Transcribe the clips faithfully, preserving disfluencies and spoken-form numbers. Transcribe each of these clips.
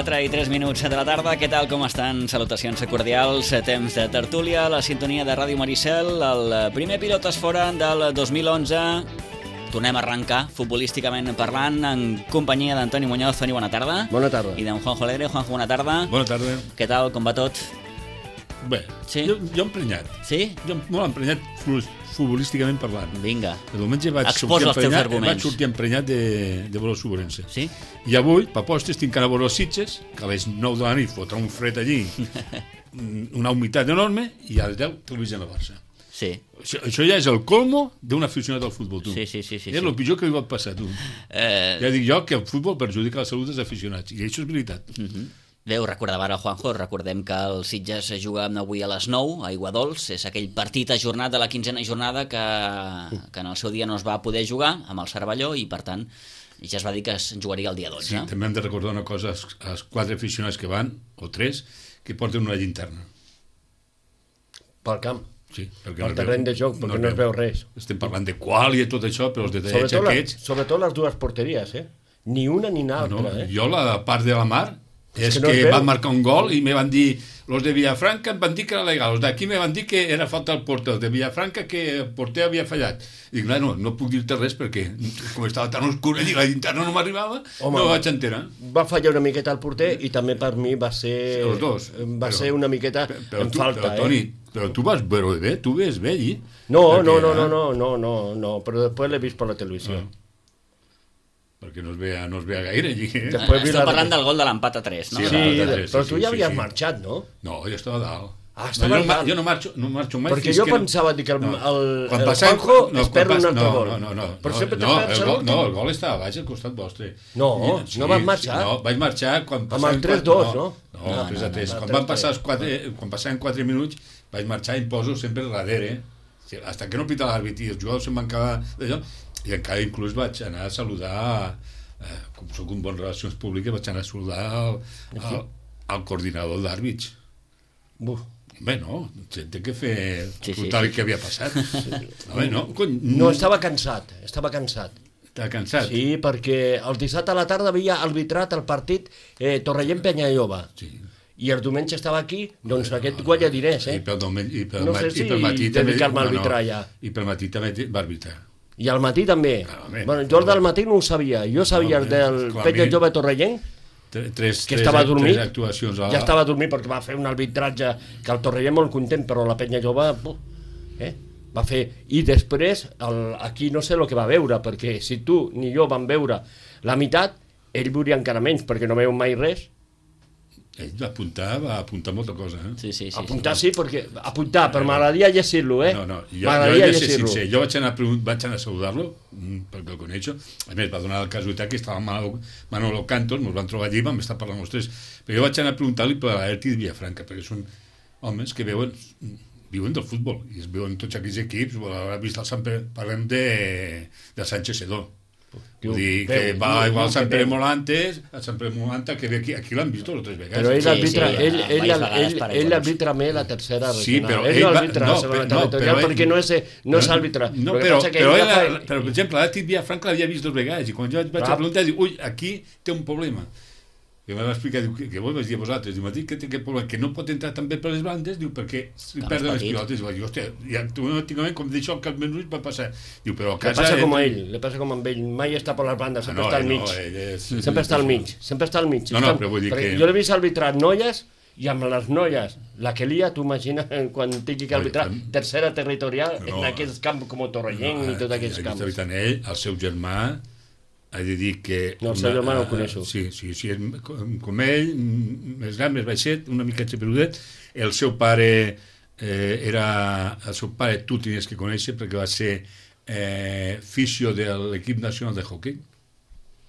quatre i tres minuts de la tarda. Què tal, com estan? Salutacions cordials. Temps de tertúlia, la sintonia de Ràdio Maricel. El primer Pilotes Fora del dos mil onze. Tornem a arrencar, futbolísticament parlant, en companyia d'Antoni Muñoz. Toni, bona tarda. Bona tarda. I d'en Juanjo Alegre. Juanjo, bona tarda. Bona tarda. Què tal, com va tot? Bé, sí? jo, jo emprenyat. Sí? Jo molt emprenyat futbolísticament parlant. Vinga. El diumenge vaig Exposa els teus arguments. Vaig sortir emprenyat de, de veure el Sobrense. Sí? I avui, per postres, tinc que anar a veure els Sitges, que a les nou de la nit fotrà un fred allí, una humitat enorme, i a les deu televisió a Barça. Sí. Això, això ja és el colmo d'un aficionat al futbol, tu. Sí, sí, sí. sí és sí. el pitjor que li pot passar, tu. Eh... Ja dic jo que el futbol perjudica la salut dels aficionats, i això és veritat. Uh -huh. Bé, ho recordava ara el Juanjo, recordem que el Sitges juga avui a les nou a Aiguadols, és aquell partit ajornat de la quinzena jornada que, que en el seu dia no es va poder jugar amb el Cervelló i per tant ja es va dir que es jugaria el dia dotze. Sí, també hem de recordar una cosa als, als quatre aficionats que van, o tres, que porten una llinterna. Pel camp. Sí, perquè pel terreny de joc, perquè no, no es veu res. Estem parlant de qual i tot això, però els detallets sobretot aquests... La, sobretot les dues porteries, eh? Ni una ni l'altra, no, eh? Jo la part de la mar és, és que, no que van marcar un gol i me van dir, los de Villafranca em van dir que era legal, els d'aquí me van dir que era falta al porter, els de Villafranca que el porter havia fallat. I dic, no, no puc dir-te res perquè com estava tan oscur i la linterna no m'arribava, no me vaig enterar. Va fallar una miqueta el porter i també per mi va ser... Els dos. Va però, ser una miqueta però, però en tu, falta, però, eh? Toni, però tu vas veure bé, tu ves bé allí? No, no, no, no, no, no, no, no, però després l'he vist per la televisió. No. Perquè no es veia, no es veia gaire allí. Eh? Després Estem parlant del gol de l'empat a tres, no? Sí, sí, tres, però sí, tu ja havies sí, sí. marxat, no? No, jo estava a dalt. Ah, estava no, jo, dalt. Jo no marxo, no marxo mai. Perquè jo que pensava no... que el, no. el, el passant, Juanjo no, es perd un altre no, gol. No, no, no. Però no, sempre no, te perds el gol, no, el gol estava baix al costat vostre. No, I, sí, no vas marxar. No, vaig marxar quan amb el tres dos, no? No, no, tres a tres. Quan van passar els quatre, quan passaven quatre minuts, vaig marxar i em poso sempre darrere, hasta que no pita l'àrbit i els jugadors se'n van acabar d'allò, i encara inclús vaig anar a saludar, eh, com soc un bon relacions públiques, vaig anar a saludar al, al, al coordinador d'àrbits. Buf. Bé, no, té que fer sí, sí, sí, sí. què havia passat. No, bé, no, no, estava cansat, estava cansat. Estava cansat? Sí, perquè el dissabte a la tarda havia arbitrat el partit eh, Torrellent-Penyalloba. Sí. I el diumenge estava aquí, doncs aquest guanya diners, eh? I pel, diumenge, i pel, no sé si i pel matí dedicar-me a arbitrar ja. I pel matí també va arbitrar. I al matí també. Ah, home, bueno, jo el del matí no ho sabia. Jo sabia no, el del Penyalloba Torrellent, tres, que estava dormit, tres actuacions a la... ja estava dormit perquè va fer un arbitratge que el Torrellent molt content, però la Penyalloba eh, va fer, i després el, aquí no sé el que va veure, perquè si tu ni jo vam veure la meitat, ell veuria encara menys perquè no veu mai res. Ell va apuntar, va apuntar molta cosa, eh? Sí, sí, sí. Apuntar sí, perquè apuntar, però m'agradaria llegir-lo, eh? No, no, jo, jo he de ser sincer, jo vaig anar, vaig anar a saludar-lo, perquè el coneixo, a més va donar el casualitat que estava Manolo, Manolo Cantos, ens van trobar allí, vam estar parlant els tres, però jo vaig anar a preguntar-li per l'Atlètic de Villafranca, perquè són homes que veuen, viuen del futbol, i es veuen tots aquells equips, haurà vist el Sant Pere, parlem de, de Sánchez Sedó. Vull dir que va igual a Sant Pere Molantes, a Sant Pere Molanta, que aquí, aquí l'han vist dos o tres vegades. Però ell sí, arbitra, sí, ell, ell, ell, ell, ell arbitra més la tercera regional. Sí, però ell, ell no va, arbitra no, la segona no, territorial però perquè ell, no és, no és àrbitre. No, però, però, ell, fa... però, per exemple, l'Atlètic Villafranca l'havia vist dos vegades i quan jo vaig a preguntar, dic, ui, aquí té un problema. I em va explicar, diu, que, que vos vaig dir a vosaltres, diu, que té aquest problema, que no pot entrar també per les bandes, diu, perquè si perden les pilotes. Diu, diu, hòstia, i automàticament, com d'això, que al menys va passar. Diu, però a casa... Le passa com a ell, le passa com amb ell, mai està per les bandes, sempre està al mig. Sempre està al mig, sempre està al mig. No, no, però vull dir que... Jo l'he vist arbitrar noies, i amb les noies, la que lia, tu imagines quan tingui que arbitrar tercera territorial en aquests camps com Torrellent i tots aquests camps. Està evitant ell, el seu germà, he de dir que... No, el seu germà no el coneixo. Sí, sí, sí, com, com ell, més gran, més baixet, una mica peludet. El seu pare eh, era... El seu pare tu tenies que conèixer perquè va ser eh, fisio de l'equip nacional de hockey.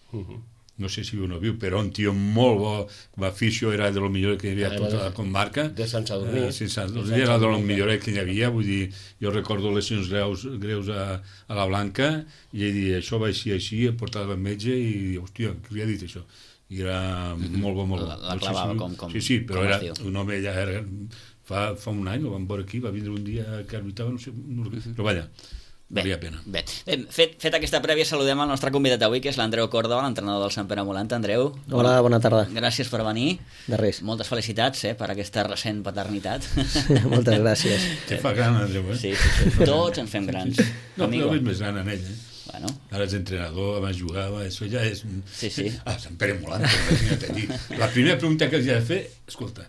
Uh-huh. No sé si viu o no viu, però un tio molt bo, com a fisio era de lo millor que hi havia a tota la comarca. De Sant Sadurní. Eh, Sant Sadurní era de lo millor que hi havia, vull dir, jo recordo lesions greus, greus a, a la Blanca, i ell dia, això va així, així, em portava el metge i, hòstia, què li ha dit això? I era molt bo, molt bo. La, la clavava no sé si, com, com Sí, sí, però era diu. un home ja era... Fa, fa un any, el vam veure aquí, va vindre un dia que arbitrava, no sé, no, però vaja, Bé, valia pena. Bé. bé fet, fet aquesta prèvia, saludem el nostre convidat d'avui, que és l'Andreu Córdoba, l'entrenador del Sant Pere Molant. Andreu. Hola, bona tarda. Gràcies per venir. De res. Moltes felicitats eh, per aquesta recent paternitat. Moltes gràcies. Te fa gran, Andreu, eh? Sí, sí, sí. Tots ens fem grans. No, però és més gran en ell, eh? Bueno. Ara és entrenador, abans jugava, això ja és... Sí, sí. Ah, Sant Pere Molant, imagina't a dir. La primera pregunta que els he de fer, escolta,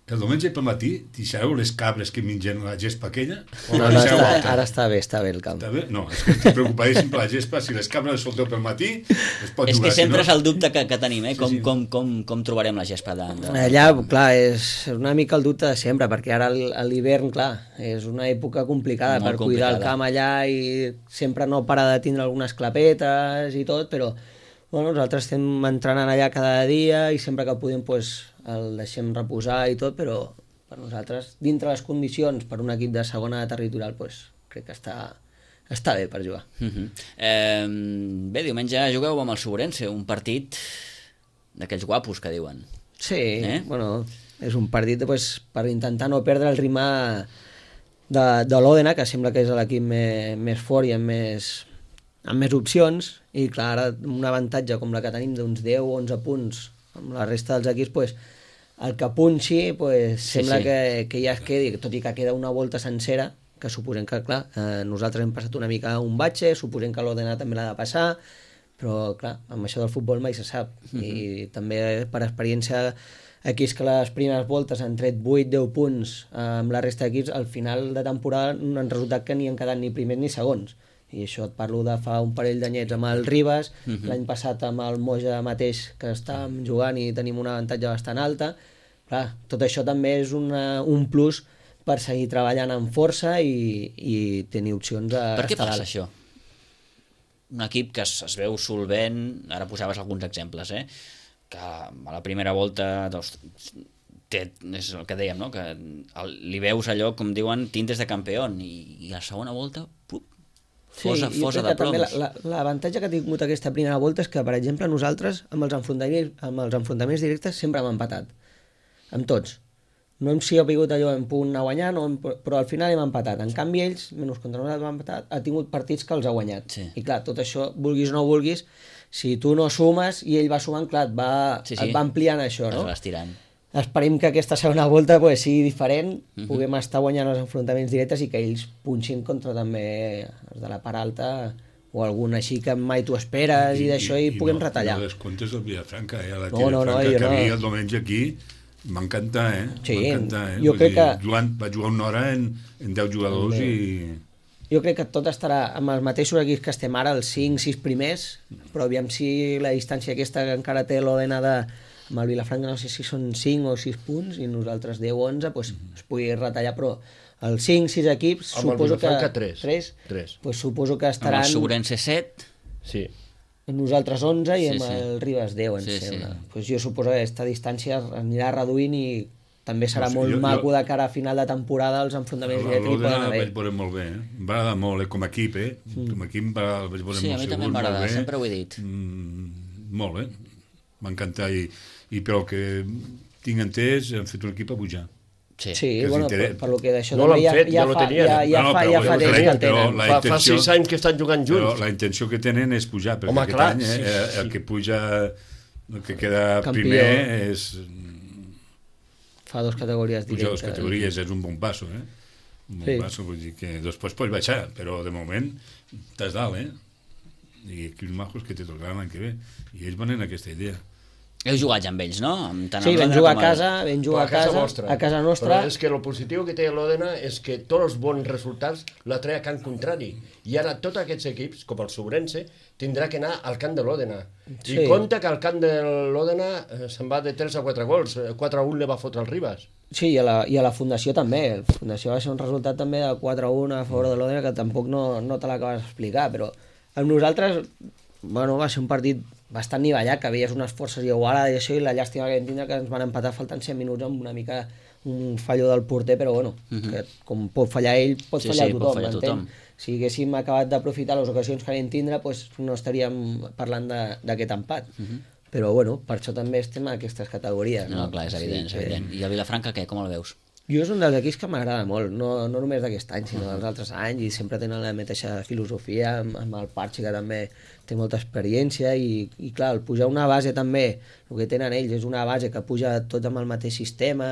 el diumenge pel matí deixareu les cabres que mengen la gespa aquella? O No, la no, deixareu està, alta? ara està bé, està bé el camp. Està bé? No, és que estic preocupadíssim per la gespa. Si les cabres les solteu pel matí, es pot És jugar. que sempre si és el dubte que, que tenim, eh? Com, Sí, sí. Com, com, com trobarem la gespa de... de... Allà, clar, és una mica el dubte de sempre, perquè ara l- a l'hivern, clar, és una època complicada Molt per cuidar el complicada. camp allà i sempre no para de tindre algunes clapetes i tot, però bueno, nosaltres estem entrenant allà cada dia i sempre que podem pues, el deixem reposar i tot, però per nosaltres, dintre les condicions per un equip de segona territorial, pues, crec que està, està bé per jugar. Uh -huh. eh, bé, diumenge jugueu amb el Sobrense, un partit d'aquells guapos que diuen. Sí, Eh? eh? bueno, és un partit pues, per intentar no perdre el ritme de, de l'Òdena, que sembla que és l'equip més, més fort i amb més, amb més opcions, i clar, ara un avantatge com la que tenim d'uns deu o onze punts amb la resta dels equips, pues, el que punxi pues, Sí, sembla sí. Que, que ja es quedi, tot i que queda una volta sencera, que suposem que, clar, eh, nosaltres hem passat una mica un batxe, suposem que l'Òdena també l'ha de passar, però, clar, amb això del futbol mai se sap. Uh -huh. I també, per experiència, equips que les primeres voltes han tret vuit deu punts eh, amb la resta d'equips, al final de temporada no han resultat que ni han quedat ni primers ni segons. I això et parlo de fa un parell d'anyets amb el Ribas, uh -huh. l'any passat amb el Moja mateix, que estàvem jugant i tenim un avantatge bastant alta. Clar, tot això també és una, un plus per seguir treballant amb força i, i tenir opcions a Per què estar passa dalt. això? Un equip que es, es veu solvent, ara posaves alguns exemples, eh? Que a la primera volta doncs, té, és el que dèiem, no? Que el, li veus allò, com diuen, tintes de campió, i, i a la segona volta, pup, fosa, jo fosa crec de que també ploms. la- la- L'avantatge que ha tingut aquesta primera volta és que, per exemple, nosaltres amb els enfrontaments, amb els enfrontaments directes sempre hem empatat. Amb tots. No hem sigut allò en punt anar guanyant, no hem, però al final hem empatat. En canvi, ells, menys contra nosaltres hem empatat, ha tingut partits que els ha guanyat. Sí. I clar, tot això, vulguis o no vulguis, si tu no sumes i ell va sumant, clar, et va, Sí, sí. et va ampliant això, Es no? va estirant. Esperem que aquesta segona volta pues, sigui diferent, uh Mhm. -huh. puguem estar guanyant els enfrontaments directes i que ells punxin contra també els de la part alta o algun així que mai t'ho esperes i, i d'això i, i puguem no, retallar. I no descomptes el Vilafranca, eh? La No, no, no, Vilafranca jo que no. havia el diumenge aquí, m'encanta, eh? Sí, m'encanta, eh? jo Vull crec dir, que- Jugant, va jugar una hora en, en deu jugadors i... Jo crec que tot estarà amb els mateixos equips que estem ara, els cinc sis primers, però aviam si la distància aquesta que encara té l'Òdena de amb el Vilafranca, no sé si són cinc o sis punts i nosaltres deu o onze, pues, es pugui retallar, però els cinc sis equips Amb el suposo que... Vilafranca, tres. tres, Tres. pues, suposo que Amb estaran... el Sobrense set, Sí. Nosaltres onze i Sí, amb sí. el Ribas deu, em Sí, sembla. sí. Pues jo suposo que aquesta distància anirà reduint i també serà No sé, molt jo- maco jo- de cara a final de temporada els enfrontaments directes hi poden L'Òdena el haver. vaig veure molt bé, eh? Em va agradar molt, eh? Com a equip, eh? Mm. Com a equip em va, el vaig veure Sí, a molt mi segur, també em va molt agradar, bé. sempre ho he dit. Mm, molt, eh? M'ha encantat i, i pel que tinc entès han fet un equip a pujar. sí. Sí, que bueno, s'interessa. per, per lo que d'això No també l'han fet, ja lo fa, tenien. ja, ja No, no, fa, però ja bueno, fa temps crec que el que però tenen. la Fa, fa intenció- sis anys que estan jugant Però junts. la intenció que tenen és pujar, perquè Home, aquest clar, any eh, sí, sí. el que puja, el que queda Campió. primer és Fa dos categories pujar directes. dues categories, és un bon passo, eh? Un bon Sí. passo, vull dir que després pots baixar, però de moment estàs dalt, eh? I equips majos que te tocaran l'any que ve. I ells van en aquesta idea. Heu jugat ja amb ells, no? Amb tant Sí, el vam Òdena jugar a com el- casa, vam jugar a casa, a casa nostra. Però és que el positiu que té l'Òdena és que tots els bons resultats la treia a camp contrari. I ara tots aquests equips, com el Sobrense, tindrà que anar al camp de l'Òdena. Sí. I compte que al camp de l'Òdena eh, se'n va de tres a quatre gols. Eh, quatre a un li va fotre el Ribas. Sí, i a, la, i a la Fundació també. La Fundació va ser un resultat també de quatre a un a favor de l'Òdena que tampoc no, no te l'acabes d'explicar, però amb nosaltres bueno, va ser un partit bastant nivellat, que veies unes forces igualades i això, i la llàstima que vam tindre que ens van empatar faltant cent minuts amb una mica un fallo del porter, però bueno, uh -huh. que com pot fallar ell, pot Sí, fallar sí, pot tothom, fallar m'entén? tothom. Si haguéssim acabat d'aprofitar les ocasions que vam tindre, pues no estaríem parlant de- d'aquest empat. Uh -huh. Però bueno, per això també estem a aquestes categories. No, No, clar, és evident, és que- evident. I el Vilafranca, què? Com el veus? Jo és un dels equips que m'agrada molt, no, no només d'aquest any, sinó dels altres anys, i sempre tenen la mateixa filosofia, amb, amb el Parchi, que també té molta experiència, i, i clar, el pujar una base també, el que tenen ells és una base que puja tots amb el mateix sistema,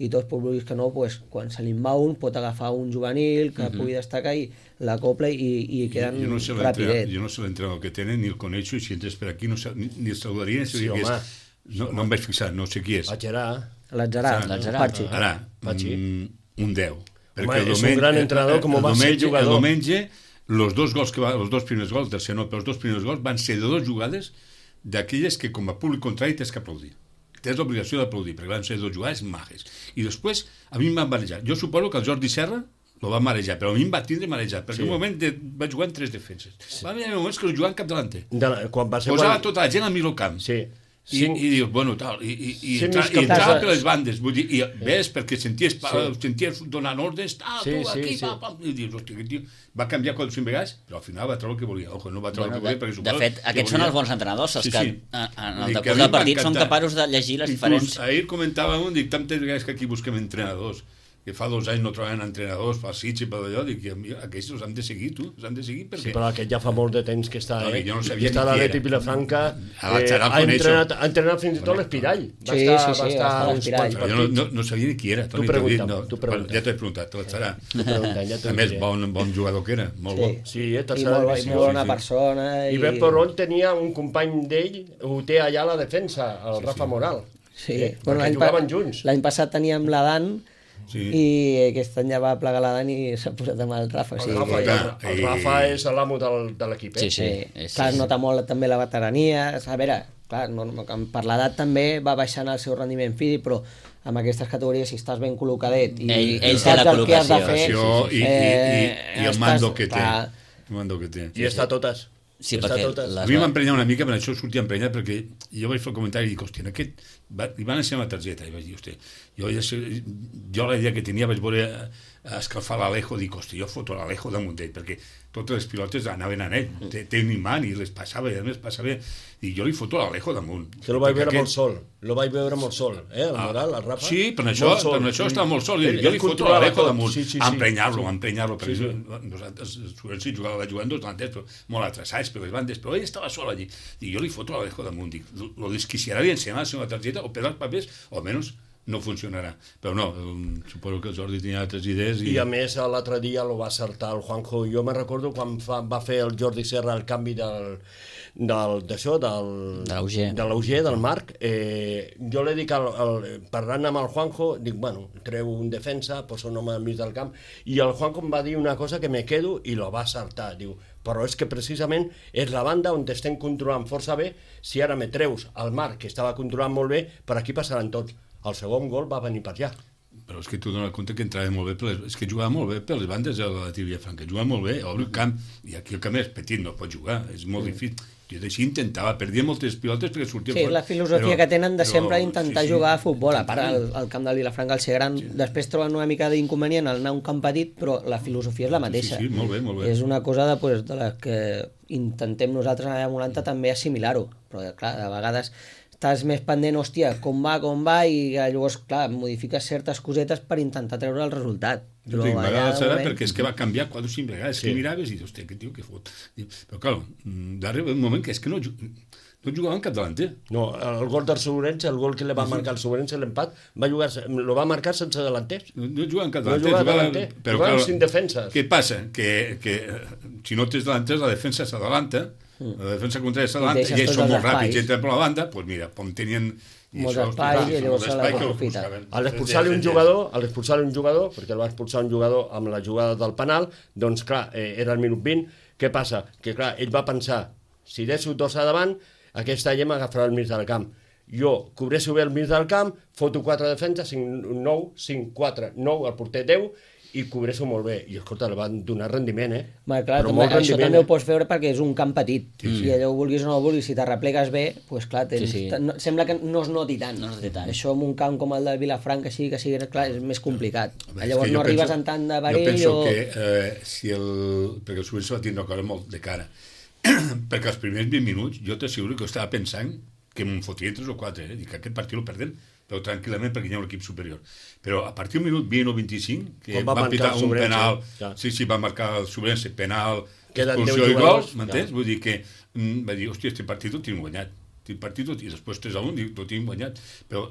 i tots, per vulguis que no, pues, quan se li en va un, pot agafar un juvenil que uh -huh. pugui destacar i l'acopla i, i queden jo no sé rapidet. Jo no sé l'entrenador que tenen, ni el coneixo, i si entres per aquí no sé, ni, ni el saludaria, ni Sí, sabia qui home. és. No, no em vaig fixar, no sé qui és. A Gerard. L'atzarà, L'atzarà. Parchi. Ara, Patxi. mm, un deu. Home, és un gran entrenador, com ho va ser jugador. El diumenge, los dos gols que va, els dos primers gols, tercer no, però els dos primers gols van ser de dos jugades d'aquelles que com a públic contrari tens que aplaudir. Tens l'obligació d'aplaudir, perquè van ser dos jugades majes. I després, a mi em van marejar. Jo suposo que el Jordi Serra lo va marejar, però a mi em va tindre marejat, perquè sí. un moment de, va jugar en tres defenses. Sí. Va haver moments que el jugava en cap delanter. De la, quan va ser Posava quan... tota la gent al mig del camp. Sí. I, Cinc... i dius, bueno, tal, i, i, i, Sí, entra, més i que entrava pas- per les bandes, vull dir, i ves, perquè senties, pa, Sí. senties donant ordres, tal, Sí, tu, sí, aquí, sí. pa, pa, i dius, hòstia, aquest tio va canviar quatre o cinc vegades, però al final va treure el que volia. Ojo, no va treure Bueno, el que volia, de, perquè de suposo fet, que aquests volia. són els bons entrenadors, els Sí, que sí. en, en Dic el que a decurs mi del m'ha partit són encantat. capaços de llegir les Inclús diferents... ahir comentava un, dic, tantes vegades que aquí busquem entrenadors, que fa dos anys no trobaven entrenadors pel Sitges i per allò, dic, i aquests els han de seguir, tu, els han de seguir, perquè... Sí, però aquest ja fa molt de temps que està, No, eh? jo no sabia I està a ni qui l'Atleti era. Vilafranca, A la eh, Xarà el ha, coneixo. entrenat, ha entrenat fins i tot l'Espirall. Va Sí, estar, sí, sí, va va estar estar a uns l'Espirall. quants Però jo no, partits. no, no sabia ni qui era, Toni, Tu t'ho dic, pregunta'm, no. tu pregunta. Ja t'ho he preguntat, te l'estarà. Tu pregunta, ja t'ho A més, diré. bon, bon jugador que era, molt bo. Sí, Sí, eh, i tercera molt, i divisió. molt bona sí, sí. persona. I bé, però ell tenia un company d'ell, ho té allà a la defensa, el Rafa Moral. Sí, Eh? bueno, Perquè l'any pa- jugaven junts. L'any passat teníem l'Adan, Sí. i aquest any ja va plegar l'Adan i s'ha posat amb el Rafa. O El sigui Rafa, que... el, el i- Rafa és l'amo del, de l'equip, eh? Sí, sí. Sí, és- clar, es és- nota molt també la veterania. A veure, clar, no, no, per l'edat també va baixant el seu rendiment físic, però amb aquestes categories, si estàs ben col·locadet i, Ell- ell i té saps la el que has de col·locació, fer... Sí, sí, sí. I, i, i, i el estàs- mando que té. clar, El mando que té. I està a totes. Sí, està perquè a totes. les- A mi m'emprenya una mica, per això sortia emprenyat, perquè jo vaig fer el comentari i dic, hòstia, en aquest... Va, li van ensenyar la targeta i vaig dir, hòstia, jo, ja sé, jo la idea que tenia vaig veure eh, escalfar l'Alejo, dic, hòstia, jo foto l'Alejo damunt d'ell, perquè totes les pilotes anaven a ell, té, té un imant i les passava, i a més passava, i jo li foto l'Alejo damunt. Que lo vaig Perquè veure aquest- molt sol. Lo vaig veure molt sol, eh? El Moral, el Rafa. Sí, per això, Molt sol. per això estava molt sol. Ell- Jo ell li foto controlava l'Alejo tot. damunt, Sí, sí, sí. a emprenyar-lo, a emprenyar-lo. Sí, sí. Nosaltres, els sí, jugava, vaig jugant dos delanters, però molt atrasats per les bandes, però ell estava sol allí. I jo li foto l'Alejo damunt, dic, lo desquiciarà i ensenyarà la seva targeta, o per els papers, o almenys no funcionarà. Però no, um, suposo que el Jordi tenia altres idees. I, I a més, l'altre dia lo va acertar el Juanjo. Jo me recordo quan fa, va fer el Jordi Serra el canvi del del d'això, del, De l'Auger. de l'Auger, del Marc, eh, jo li dic, al, al, parlant amb el Juanjo, dic, bueno, treu un defensa, posa un home al mig del camp, i el Juanjo em va dir una cosa que me quedo i lo va acertar, diu, però és que precisament és la banda on estem controlant força bé, si ara me treus el Marc, que estava controlant molt bé, per aquí passaran tots. El segon gol va venir per allà. Però és que tu dones compte que entrava molt bé, per les, és que jugava molt bé per les bandes de la Tibia Franca, jugava molt bé, obre el camp, i aquí el camp és petit, no pot jugar, és molt mm. difícil. Jo d'així intentava, perdia moltes pilotes perquè sortia Sí, és la filosofia però, que tenen de però, sempre intentar sí, sí, jugar a futbol, a part el, el camp del Vilafranca, el ser gran, Sí. després troben una mica d'inconvenient al anar a un camp petit, però la filosofia és la mateixa. Sí, sí, molt bé, molt bé. És una cosa de, pues, de la que intentem nosaltres a la noranta també assimilar-ho, però clar, de vegades estàs més pendent, hòstia, com va, com va, i llavors, clar, modifiques certes cosetes per intentar treure el resultat. Jo dic, allà, m'agrada de serà moment- perquè és que va canviar quatre o cinc vegades, Sí. que miraves i dius, hòstia, aquest tio que fot. Però, clar, d'arriba un moment que és que no, ju- no jugava en cap delanter. No, el gol del Sobrense, el gol que li va marcar el Sobrense, l'empat, va jugar, lo va marcar sense delanters. No, no jugava en cap No delanter. jugava jugava- delanter, però, jugava clar, cinc defenses. Què passa? Que, que eh, si no tens delanters, la defensa s'adalanta, la defensa contrària s'adalanta, deixes i ells tots són els molt ràpids, espais. entren per la banda, doncs mira, com tenien... i Molts això, espais, hosti, i llavors molt se espai que l'aprofita. buscaven. A l'expulsar-li un jugador, a l'expulsar-li un jugador, perquè el va expulsar un jugador amb la jugada del penal, doncs clar, eh, era el minut vint, què passa? Que clar, ell va pensar, si deixo dos a davant, aquesta gent m'agafarà el mig del camp. Jo cobreixo bé el mig del camp, foto quatre defenses, cinc, nou, cinc, quatre, nou, el porter deu, i cobreixo molt bé. I escolta, li van donar rendiment, eh? Ma, clar, Però també, molt això rendiment, també eh? ho pots veure perquè és un camp petit. Sí, Si allò ho vulguis o no ho vulguis, si te replegues bé, doncs clar, tens, Sí, sí. no, sembla que no es noti tant. No es noti tant. Això en un camp com el de Vilafranca, així que sigui, clar, és més complicat. Home, és Llavors que jo no arribes penso- en tant de Jo perill penso o... que eh, si el... perquè el Sobrense va tindre una cosa molt de cara. perquè els primers vint minuts jo t'asseguro que estava pensant que me'n fotria tres o quatre, eh? Dic que aquest partit el perdem però tranquil·lament perquè hi ha un equip superior. Però a partir del minut vint o vint-i-cinc, que va va pitar un Sobrense, penal, ja. sí, sí, va marcar el Sobrense, penal, Queden expulsió deu i gol, jugadors, m'entens? ja. Vull dir que mm, va dir, hòstia, este partit ho tinc guanyat. Este partit ho tinc, i després tres a un, dic, ho tinc guanyat. Però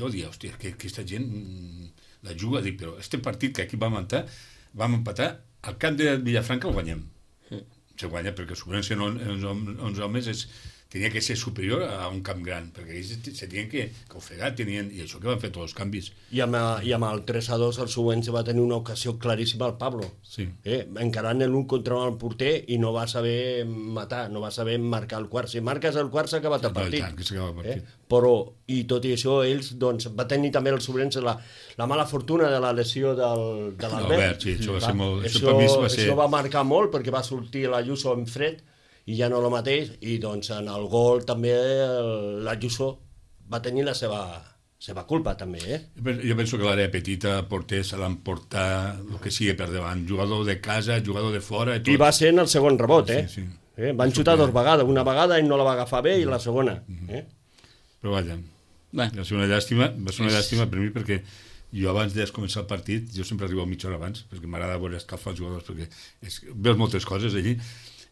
jo dia, hòstia, que aquesta gent mm, la juga, dic, però este partit que aquí vam empatar, vam empatar, al camp de Villafranca el guanyem. Mm. Se guanya perquè Sobrense en onze homes és, tenia que ser superior a un camp gran, perquè ells se tenien que, que ofegar, tenien, i això que van fer tots els canvis. I amb, i amb el tres a dos el Sobrense va tenir una ocasió claríssima al Pablo, sí. eh? encarant l'un contra el porter i no va saber matar, no va saber marcar el quart. Si marques el quart s'ha acabat el partit. No, que s'acaba el partit. Eh? Però, i tot i això, ells, doncs, va tenir també el Sobrense la, la mala fortuna de la lesió del, de l'Albert. Sí, això va ser molt... Això, això, per mi va ser... això va marcar molt perquè va sortir l'Ayuso en fred i ja no el mateix, i doncs en el gol també l'Ayuso va tenir la seva, seva culpa també, eh? Jo penso que l'àrea petita, porter, se l'emportar el que sigui per davant, jugador de casa, jugador de fora... I, tot. I va ser en el segon rebot, eh? Sí, sí. eh? Van xutar dues vegades, una vegada ell no la va agafar bé i la segona. Eh? Però vaja, Bé. va ser una llàstima, va ser una llàstima per mi perquè jo abans de començar el partit, jo sempre arribo mitja hora abans, perquè m'agrada veure escalfar els jugadors, perquè és, veus moltes coses allí,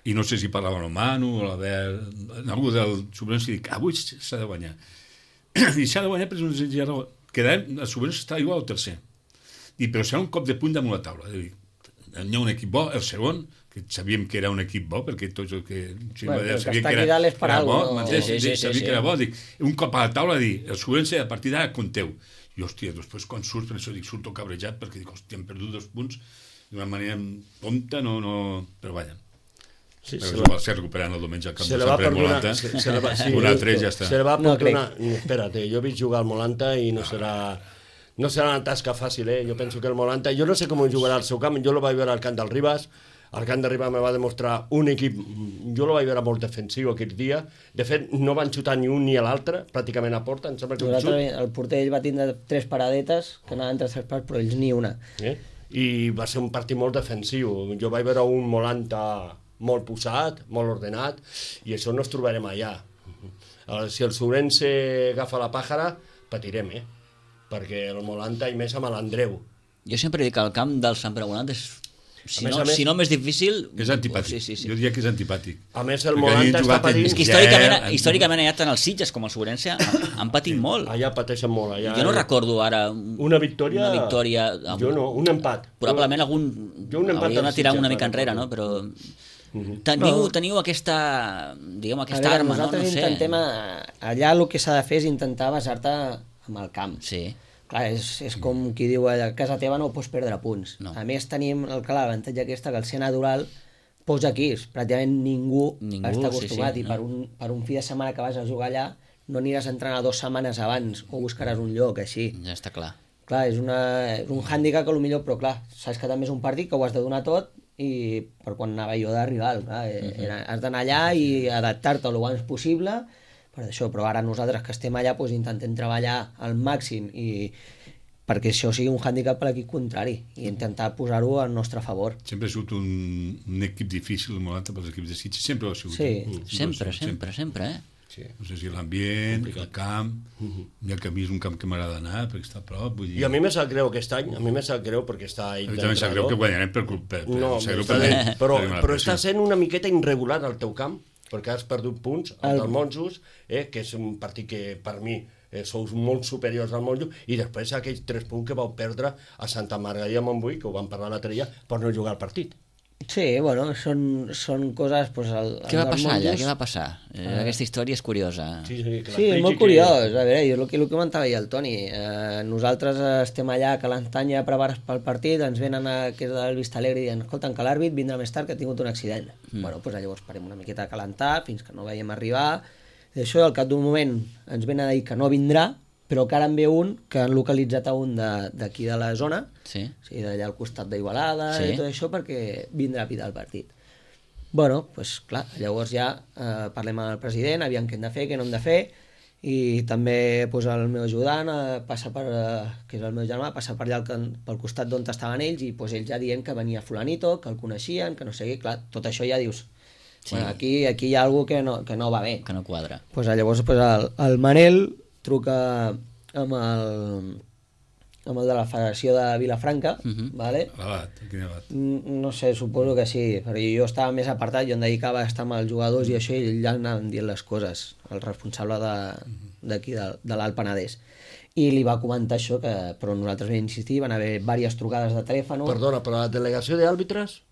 i no sé si parlava el Manu o l'Albert, algú del Sobrense, i dic, avui s'ha de guanyar. I s'ha de guanyar per una senzilla raó. Quedarem, el Sobrense està igual al tercer. I, però serà un cop de punt damunt la taula. Dir, hi ha un equip bo, el segon, que sabíem que era un equip bo, perquè tots el que... Si bueno, ja que sabien està que aquí era, dalt és per era bo, alguna cosa. m'entens? Sí, sí, sí, sabia sí, que era sí. bo, dic, un cop a la taula, dir, el Sobrense a partir d'ara compteu. I hòstia, després quan surts, per això dic, surto cabrejat, perquè dic, hòstia, hem perdut dos punts d'una manera tonta, no, no... Però vaja. Sí, Però se això la, va ser recuperant el diumenge al camp se de la va Sant Pere perdonar. Molanta. Se, se la va, sí, Un altre i ja està. Se la va No perdonar. No, espera't, jo he vist jugar al Molanta i no serà... No serà una tasca fàcil, eh? Jo penso que el Molanta... Jo no sé com jugarà al seu camp, jo lo vaig veure al camp del Ribas, el camp de Ribas me va demostrar un equip... Jo lo vaig veure molt defensiu aquell dia. De fet, no van xutar ni un ni l'altre, pràcticament a porta, em sembla que un xut. El porter ell va tindre tres paradetes, que anaven tres parts, però ells ni una. Eh? I va ser un partit molt defensiu. Jo vaig veure un Molanta molt posat, molt ordenat, i això no es trobarem allà. Si el Sobrense agafa la pàjara, patirem, eh? Perquè el Molanta, i més amb l'Andreu. Jo sempre dic que el camp del Sant Pere Molant és, si, A més no, a més- si no més difícil... És antipàtic. Sí, sí, sí. Jo diria que és antipàtic. A més, el Perquè Molanta havien està jugat en- patint... És que Ja, històricament, en- històricament allà tant els Sitges com el Sobrense han, han patit molt. Allà pateixen molt. Allà... Jo no recordo ara un- Una victòria... una victòria amb- Jo no, un empat. Probablement algun... Jo un empat hauríem de dels tirar Sitges, una mica ara, enrere, recordo. no? Però... Mhm. Teniu, No. teniu aquesta, diguem, A aquesta veure, arma, no? nosaltres No sé. intentem... A, allà el que s'ha de fer és intentar basar-te amb el camp. Sí. Clar, és, és com qui diu a casa teva no pots perdre punts. No. A més tenim el clar, l'avantatge aquesta que el ser natural posa aquí, pràcticament ningú, Ningú, està sí, acostumat sí, i no. per un, per un fi de setmana que vas a jugar allà no aniràs a entrenar dues setmanes abans o buscaràs un lloc així. Ja està clar. Clar, és, una, és un hàndicap que potser, però clar, saps que també és un partit que ho has de donar tot i per quan anava jo de rival, clar, uh-huh. era, has d'anar allà i adaptar-te el abans possible per això, però ara nosaltres que estem allà doncs, intentem treballar al màxim i perquè això sigui un hàndicap per l'equip contrari i intentar posar-ho al nostre favor. Sempre ha sigut un, un equip difícil, el Molanta, pels equips de Sitges, sempre ho ha sigut. Sí. eh? Sempre, sempre, sempre, eh? Sí. No sé si l'ambient, el camp, i el camí és un camp que m'agrada anar, perquè està a prop, vull dir... I a mi me sap greu aquest any, a mi me sap greu perquè està ell A mi també em sap greu que guanyarem per culpa. Per, No, em sap greu està per- bé, però, per la però està pressió. sent una miqueta irregular al teu camp, perquè has perdut punts al El- del Monjos, eh, que és un partit que per mi eh, sou molt superiors al Monjos, i després aquells tres punts que vau perdre a Santa Margarida de Montbui, que ho vam parlar l'altre dia, per no jugar al partit. Sí, bueno, són, són coses... Pues, el, Què va el dels passar allà? monjos- Què va passar? Eh, aquesta història és curiosa. Sí, sí, que Sí, és l'expliqui molt que- curiós. A veure, jo el que, el que comentava ja el Toni, eh, nosaltres estem allà que l'antanya preparats pel partit, ens venen a, que és del Vista Alegre i diuen, escolta, que l'àrbit vindrà més tard que ha tingut un accident. Mm. Bueno, doncs llavors parem una miqueta a calentar fins que no veiem arribar. I això, al cap d'un moment, ens venen a dir que no vindrà, però que ara en ve un que han localitzat a un de- d'aquí de, de la zona, Sí. o sigui, d'allà al costat d'Igualada Sí. i tot això, perquè vindrà a pitar el partit. Bueno, doncs pues, clar, llavors ja eh, parlem amb el president, aviam què hem de fer, què no hem de fer, i també pues, el meu ajudant eh, passa per, eh, que és el meu germà, passa per allà al, can- pel costat d'on estaven ells, i pues, ells ja dient que venia fulanito, que el coneixien, que no sé què, clar, tot això ja dius, Sí. bueno, aquí, aquí hi ha alguna que no, que no va bé. Que no quadra. Pues, llavors pues, el, el Manel truca amb el, amb el de la Federació de Vilafranca, uh-huh. vale? Abat, quin abat? No sé, suposo que sí, perquè jo estava més apartat, jo em dedicava a estar amb els jugadors i això, i allà anaven dient les coses, el responsable d'aquí, de, de l'Alt Penedès. I li va comentar això, que, però nosaltres vam insistir, van haver diverses trucades de telèfon. Perdona, però la delegació d'àrbitres?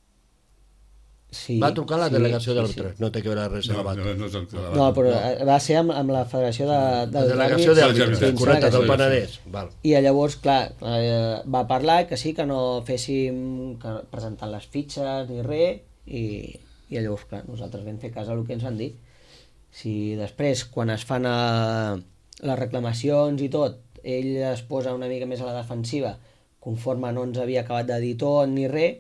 Sí, va trucar la sí, delegació sí, d'àrbitres, sí. No té que veure res amb no, l'Abat. No, no, no, no, no, però va ser amb, amb la Federació de, de la delegació d'àrbitres, correcte, del Penedès. Val. I llavors, clar, eh, va parlar que sí, que no féssim que presentant les fitxes ni res, i, i llavors, clar, nosaltres vam fer cas al que ens van dir. Si després, quan es fan a, les reclamacions i tot, ell es posa una mica més a la defensiva, conforme no ens havia acabat de dir tot ni res,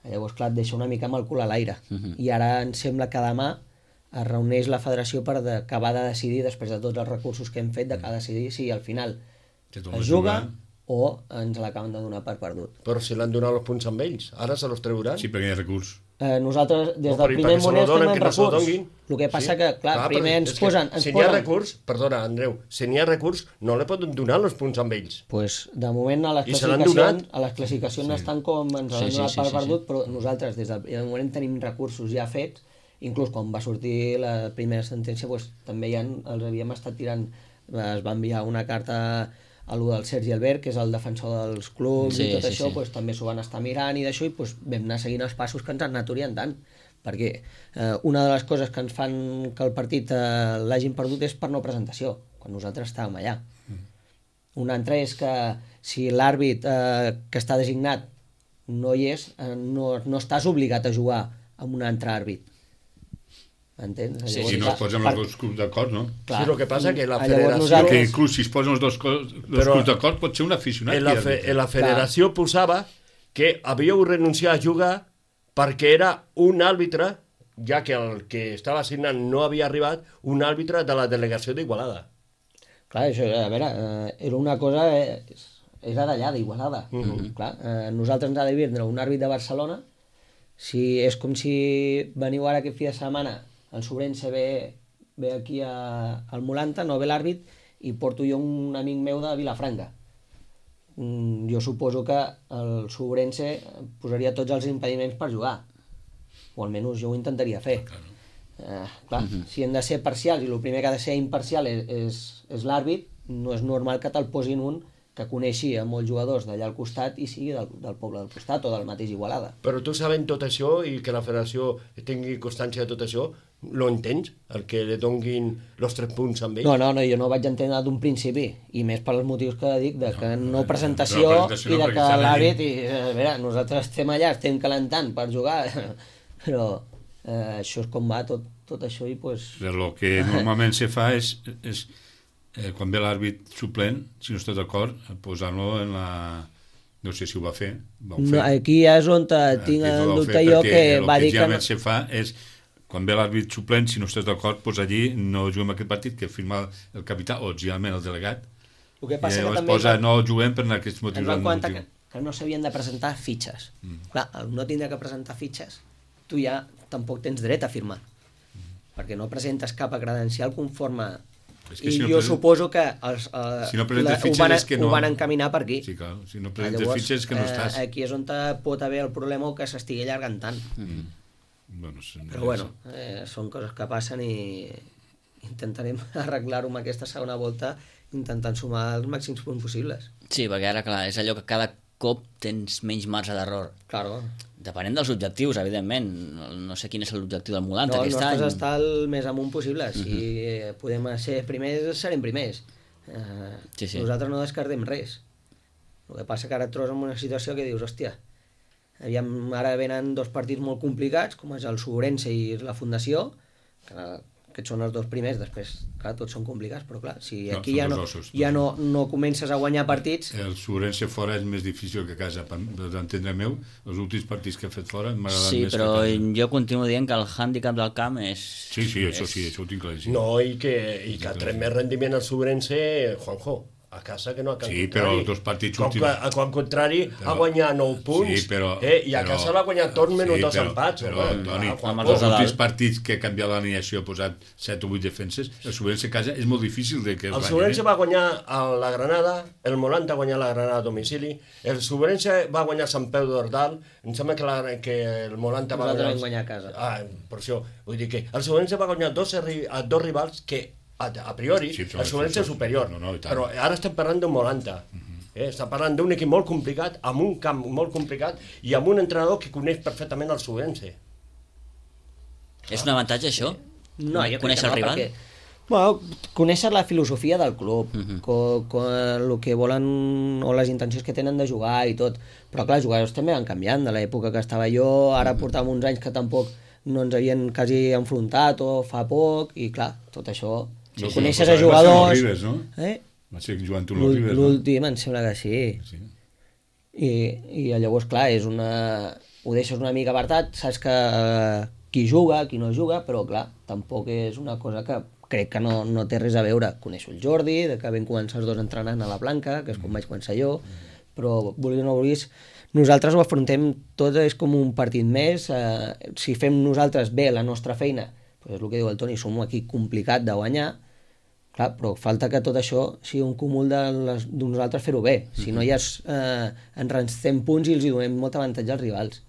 llavors, clar, et deixa una mica amb el cul a l'aire. Uh-huh. I ara em sembla que demà es reuneix la federació per de, acabar de decidir, després de tots els recursos que hem fet, d'acabar de decidir si al final es juga o ens l'acaben de donar per perdut. Però si l'han donat els punts amb ells, ara se los treuran? Sí, perquè hi ha recurs. Eh, nosaltres, des del primer moment, estem en recurs. El que passa que, clar, clar primer ens posen... Ens si n'hi posen... ha recurs, perdona, Andreu, si n'hi ha recurs, no li poden donar els punts amb ells. Pues, de moment, a les classificacions, a les classificacions sí. estan com ens sí, han donat sí, sí, per perdut, sí, sí. Però nosaltres, des del primer moment, tenim recursos ja fets, inclús quan va sortir la primera sentència, pues, també ja els havíem estat tirant, es va enviar una carta a lo del Sergi Albert, que és el defensor dels clubs sí, i tot sí, això, sí. Pues, també s'ho van estar mirant i d'això, i pues, vam anar seguint els passos que ens han anat orientant, perquè eh, una de les coses que ens fan que el partit eh, l'hagin perdut és per no presentació, quan nosaltres estàvem allà. Mm. Una altra és que si l'àrbit eh, que està designat no hi és, eh, no, no estàs obligat a jugar amb un altre àrbit. Entens? Sí, si no es posen els dos clubs d'acord, no? Clar. Sí, el que passa que la federació... Nosaltres... Que inclús si es posen els dos, dos clubs d'acord pot ser un aficionat. En la, fe, en la federació clar. Posava que havíeu renunciat a jugar perquè era un àrbitre, ja que el que estava assignant no havia arribat, un àrbitre de la delegació d'Igualada. Clar, això, a veure, eh, era una cosa... Eh, era d'allà, d'Igualada. Uh -huh. Clar, eh, nosaltres ens ha de vindre un àrbit de Barcelona, si és com si veniu ara aquest fi de setmana, el Sobrense ve, ve aquí a, al Molanta, no ve l'àrbit, i porto jo un amic meu de Vilafranca. Mm, jo suposo que el Sobrense posaria tots els impediments per jugar, o almenys jo ho intentaria fer. Claro. Eh, clar, uh-huh. Si hem de ser parcials, i el primer que ha de ser imparcial és, és, és l'àrbit, no és normal que te'l posin un que coneixi a molts jugadors d'allà al costat i sigui del, del poble del costat o del mateix Igualada. Però tu sabent tot això i que la federació tingui constància de tot això, lo entens? El que li donguin els tres punts amb ell? No, no, no, jo no vaig entendre d'un principi, i més per als motius que dic, de que no, no presentació, no, presentació no, i de que l'àrbit, i a veure, nosaltres estem allà, estem calentant per jugar, però eh, això és com va tot, tot això i pues... El que normalment se fa és... és Eh, quan ve l'àrbit suplent, si no està d'acord, posar-lo en la... No sé si ho va fer. Va fer. No, aquí és on tinc en dubte jo que va dir que... El que se fa és, quan ve l'àrbit suplent, si no estàs d'acord, pues allí no juguem aquest partit, que firma el capità o generalment el delegat. El que passa I que també... posa, no juguem per aquests motius. Ens vam comentar que, que no s'havien de presentar fitxes. Mm. Clar, al no tindre que presentar fitxes, tu ja tampoc tens dret a firmar. Mm. Perquè no presentes cap credencial conforme... I si no jo present... suposo que els, uh, si no la, ho, van, que no... ho van encaminar per aquí. Sí, clar. Si no presentes llavors, fitxes que no estàs. Eh, aquí és on pot haver el problema o que s'estigui allargant tant. Mm. Bueno, sí, però bueno, eh, són coses que passen i intentarem arreglar-ho amb aquesta segona volta intentant sumar els màxims punts possibles. Sí, perquè ara, clar, és allò que cada cop tens menys marge d'error. Claro. Depenent dels objectius, evidentment. No sé quin és l'objectiu del Molanta no, aquest any. No, el nostre està el més amunt possible. Si uh-huh. podem ser primers, serem primers. Eh, sí, sí. Nosaltres no descartem res. El que passa que ara et trobes en una situació que dius, hòstia, aviam, ara venen dos partits molt complicats, com és el Sobrense i la Fundació, que aquests són els dos primers, després, clar, tots són complicats, però clar, si no, aquí ja, no, ossos, ja no, no comences a guanyar partits... El Sobrense fora és més difícil que a casa, per entendre meu, els últims partits que he fet fora m'ha agradat sí, més però que a casa. Jo continuo dient que el hàndicap del camp és... Sí, sí, això és... sí, això ho tinc claríssim. No, i que, i que tret més rendiment al Sobrense, Juanjo, a casa que no a Can Sí, Contrari. però els dos partits Com últims... que a Can Contrari Però- ha guanyat nou punts, Sí, però- eh, i a però- casa l'ha guanyat tot menys Sí, dos però- empats. Però, home. Toni, Ah, quan amb els pot. dos de els dalt. últims partits que ha canviat l'alineació, ha posat set o vuit defenses, el Subvense a casa és molt difícil de que els El guanyin. Subrense va guanyar a la Granada, el Molanta va guanyar la Granada a domicili, el Subrense va guanyar Sant Peu d'Ordal, em sembla que, la, que el Molanta va Nosaltres guanyar... vam guanyar a casa. Ah, per això, vull dir que el Subrense va guanyar dos, arri- a dos rivals que a, a priori Sí, sí, però- el Subrense és sí, superior, no, no, i tant. però ara estem parlant d'un Molanta. Eh, està parlant d'un equip molt complicat, amb un camp molt complicat i amb un entrenador que coneix perfectament el Subrense. És un avantatge, això? No, jo crec Conèixer que no, el rival? perquè... Bueno, conèixer la filosofia del club, uh -huh. co, co, el que volen o les intencions que tenen de jugar i tot. Però clar, els jugadors també van canviant de l'època que estava jo, ara uh -huh. portàvem uns anys que tampoc no ens havien quasi enfrontat o fa poc, i clar, tot això... Sí, Si sí, coneixes però a va ser amb jugadors... els Ribes, no? Eh? Va ser jugant tu amb els Ribes, no? L'últim em sembla que sí. Sí. I, i llavors, clar, és una... ho deixes una mica apartat, saps que eh, qui juga, qui no juga, però clar, tampoc és una cosa que crec que no, no té res a veure. Coneixo el Jordi, de que vam començar els dos entrenant a la Blanca, que és com vaig començar jo, però vulguis o no vulguis, nosaltres ho afrontem tot, és com un partit més. Eh, si fem nosaltres bé la nostra feina, doncs és el que diu el Toni, som un equip complicat de guanyar, clar, però falta que tot això sigui un cúmul de, les, de nosaltres fer-ho bé. Si no ja es, eh, ens rencem punts i els hi donem molt avantatge als rivals,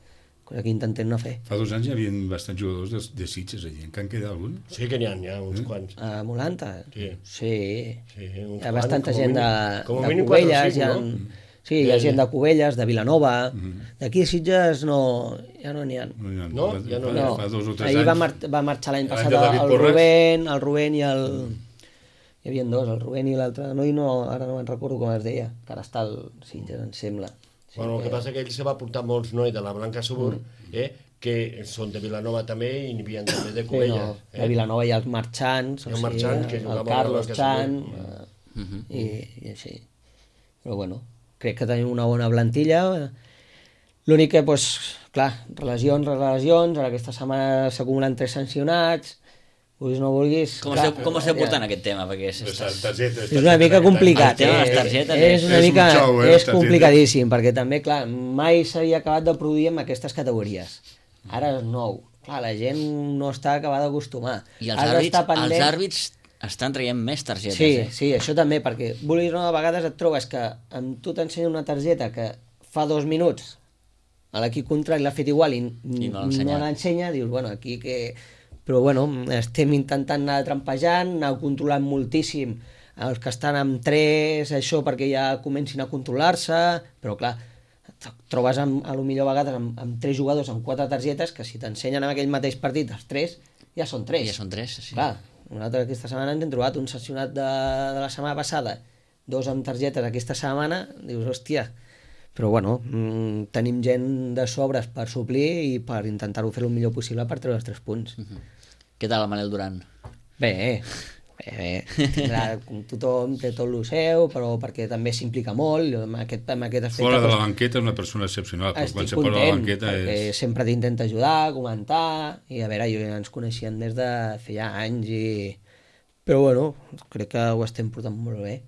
cosa que intentem no fer. Fa dos anys hi havia bastants jugadors de, de Sitges allí. En can queda algun? Sí que n'hi ha, n'hi ha uns quants. A Molanta? Sí. Sí. Sí, uns Hi ha bastanta quants, gent com a de, mínim- com a de mínim quatre o Cubelles, cinc, hi ha, no? sí, hi ha gent de Cubelles, de Vilanova, Mhm. d'aquí de Sitges no, ja no n'hi ha. No, ja, No, fa, ja no fa, n'hi ha. No, fa dos o tres ahir anys. va, mar va marxar l'any L'any passat de David el Porres. Rubén, el Rubén i el... Hi havia dos, el Rubén i l'altre noi, no, ara no me'n recordo com es deia, que ara està al Sitges, em sembla. Sí, Bueno, el que passa és que ell se va portar molts nois de la Blanca Subur, eh, que són de Vilanova també i n'hi havia també de Sí, Cubelles. no, eh? a Vilanova hi ha els marxants, Hi ha Marchant, que el jugava Carlos a la Chan, Blanca eh, i, i així. Però bueno, crec que tenim una bona plantilla. L'únic que, doncs, clar, relacions, relacions, ara aquesta setmana s'acumulen tres sancionats, vulguis o no vulguis... Com clar, esteu, com esteu ja. portant aquest tema? Perquè és, Les estàs... targetes, És una mica complicat, El tema de les eh? targetes és és- una és un mica, xou, eh, les és targetes. complicadíssim, perquè també, clar, mai s'havia acabat de produir amb aquestes categories. Ara és nou. Clar, la gent no està acabada d'acostumar. I els Has àrbits, d'estar pendent- els àrbits estan traient més targetes, Sí, eh? sí, això també, perquè vulguis o no, a vegades et trobes que amb tu t'ensenya una targeta que fa dos minuts a l'equip contrari l'ha fet igual i, I no l'ha no ensenyat. l'ensenya, dius, bueno, aquí que... Però bueno, estem intentant anar trampejant, anar controlant moltíssim els que estan amb tres, això perquè ja comencin a controlar-se, però clar, et trobes amb, a lo millor a vegades amb, amb tres jugadors amb quatre targetes que si t'ensenyen en aquell mateix partit els tres, ja són tres. Ja són tres, sí. Clar, nosaltres aquesta setmana ens hem trobat un sancionat de, de la setmana passada, dos amb targetes aquesta setmana, dius, hòstia, però bueno, mmm, tenim gent de sobres per suplir i per intentar-ho fer el millor possible per treure els tres punts. Uh -huh. Què tal el Manel Duran? Bé, bé, bé. Tindrà, com tothom té tot el seu, però perquè també s'implica molt, amb aquest, amb aquest aspecte... Fora de la doncs, banqueta és una persona excepcional, però quan estic se posa a la content, banqueta perquè és... sempre t'intenta ajudar, comentar, i a veure, jo ja ens coneixíem des de feia anys, i... però bueno, crec que ho estem portant molt bé.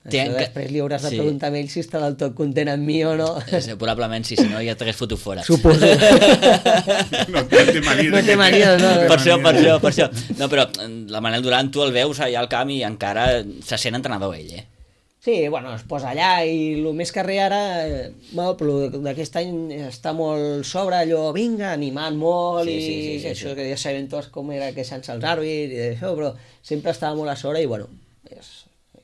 Té Això enca- després li hauràs de sí. preguntar a ell si està del tot content amb mi o no. Eh, Probablement sí, si no ja t'hagués fotut fora. Suposo. No té mania. No de té que- mania, no, no. Per això, per això, per això. No, però la Manel Duran tu el veus allà al camp i encara se sent entrenador ell, eh? Sí, bueno, es posa allà i el més carrer ara, eh, bueno, però d'aquest any està molt sobre allò, vinga, animant molt Sí, i sí, sí, sí, això sí. que ja sabem tots com era queixant-se els àrbits i això, però sempre estava molt a sobre i bueno, és,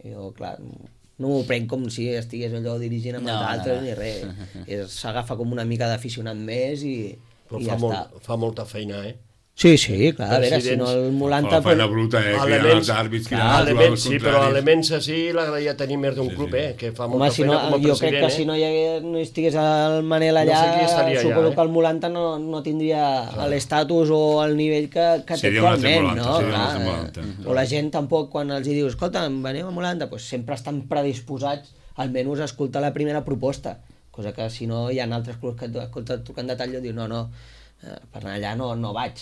jo clar, no m'ho prenc com si estigués allò dirigint amb No, els no, altres no. ni res, És- s'agafa com una mica d'aficionat més i, Però i fa, ja molt, està. fa molta feina, eh? Sí, sí, clar, a veure, si Presidents. no el Fa Molanta... la feina bruta, eh? Cridant Elements- els àrbits, Clar, cridant els elements, jugadors sí, però contraris. elements així l'agradaria tenir més d'un Sí, club, sí. eh? Que fa Home, molta si feina no, com a jo crec president, que eh? si no hi hagués, no hi estigués el Manel No allà, sé qui estaria allà, suposo eh? que el Molanta no, no tindria l'estatus o el nivell que, que té Seria un altre actualment, Molanta, no? seria un Clar, altre eh, Molanta. o la gent tampoc, quan els hi dius, escolta, venim a Molanta, pues sempre estan predisposats almenys a escoltar la primera proposta, cosa que si no hi ha altres clubs que et escolten trucant de tall i dius, no, no, eh, per anar allà no, no vaig.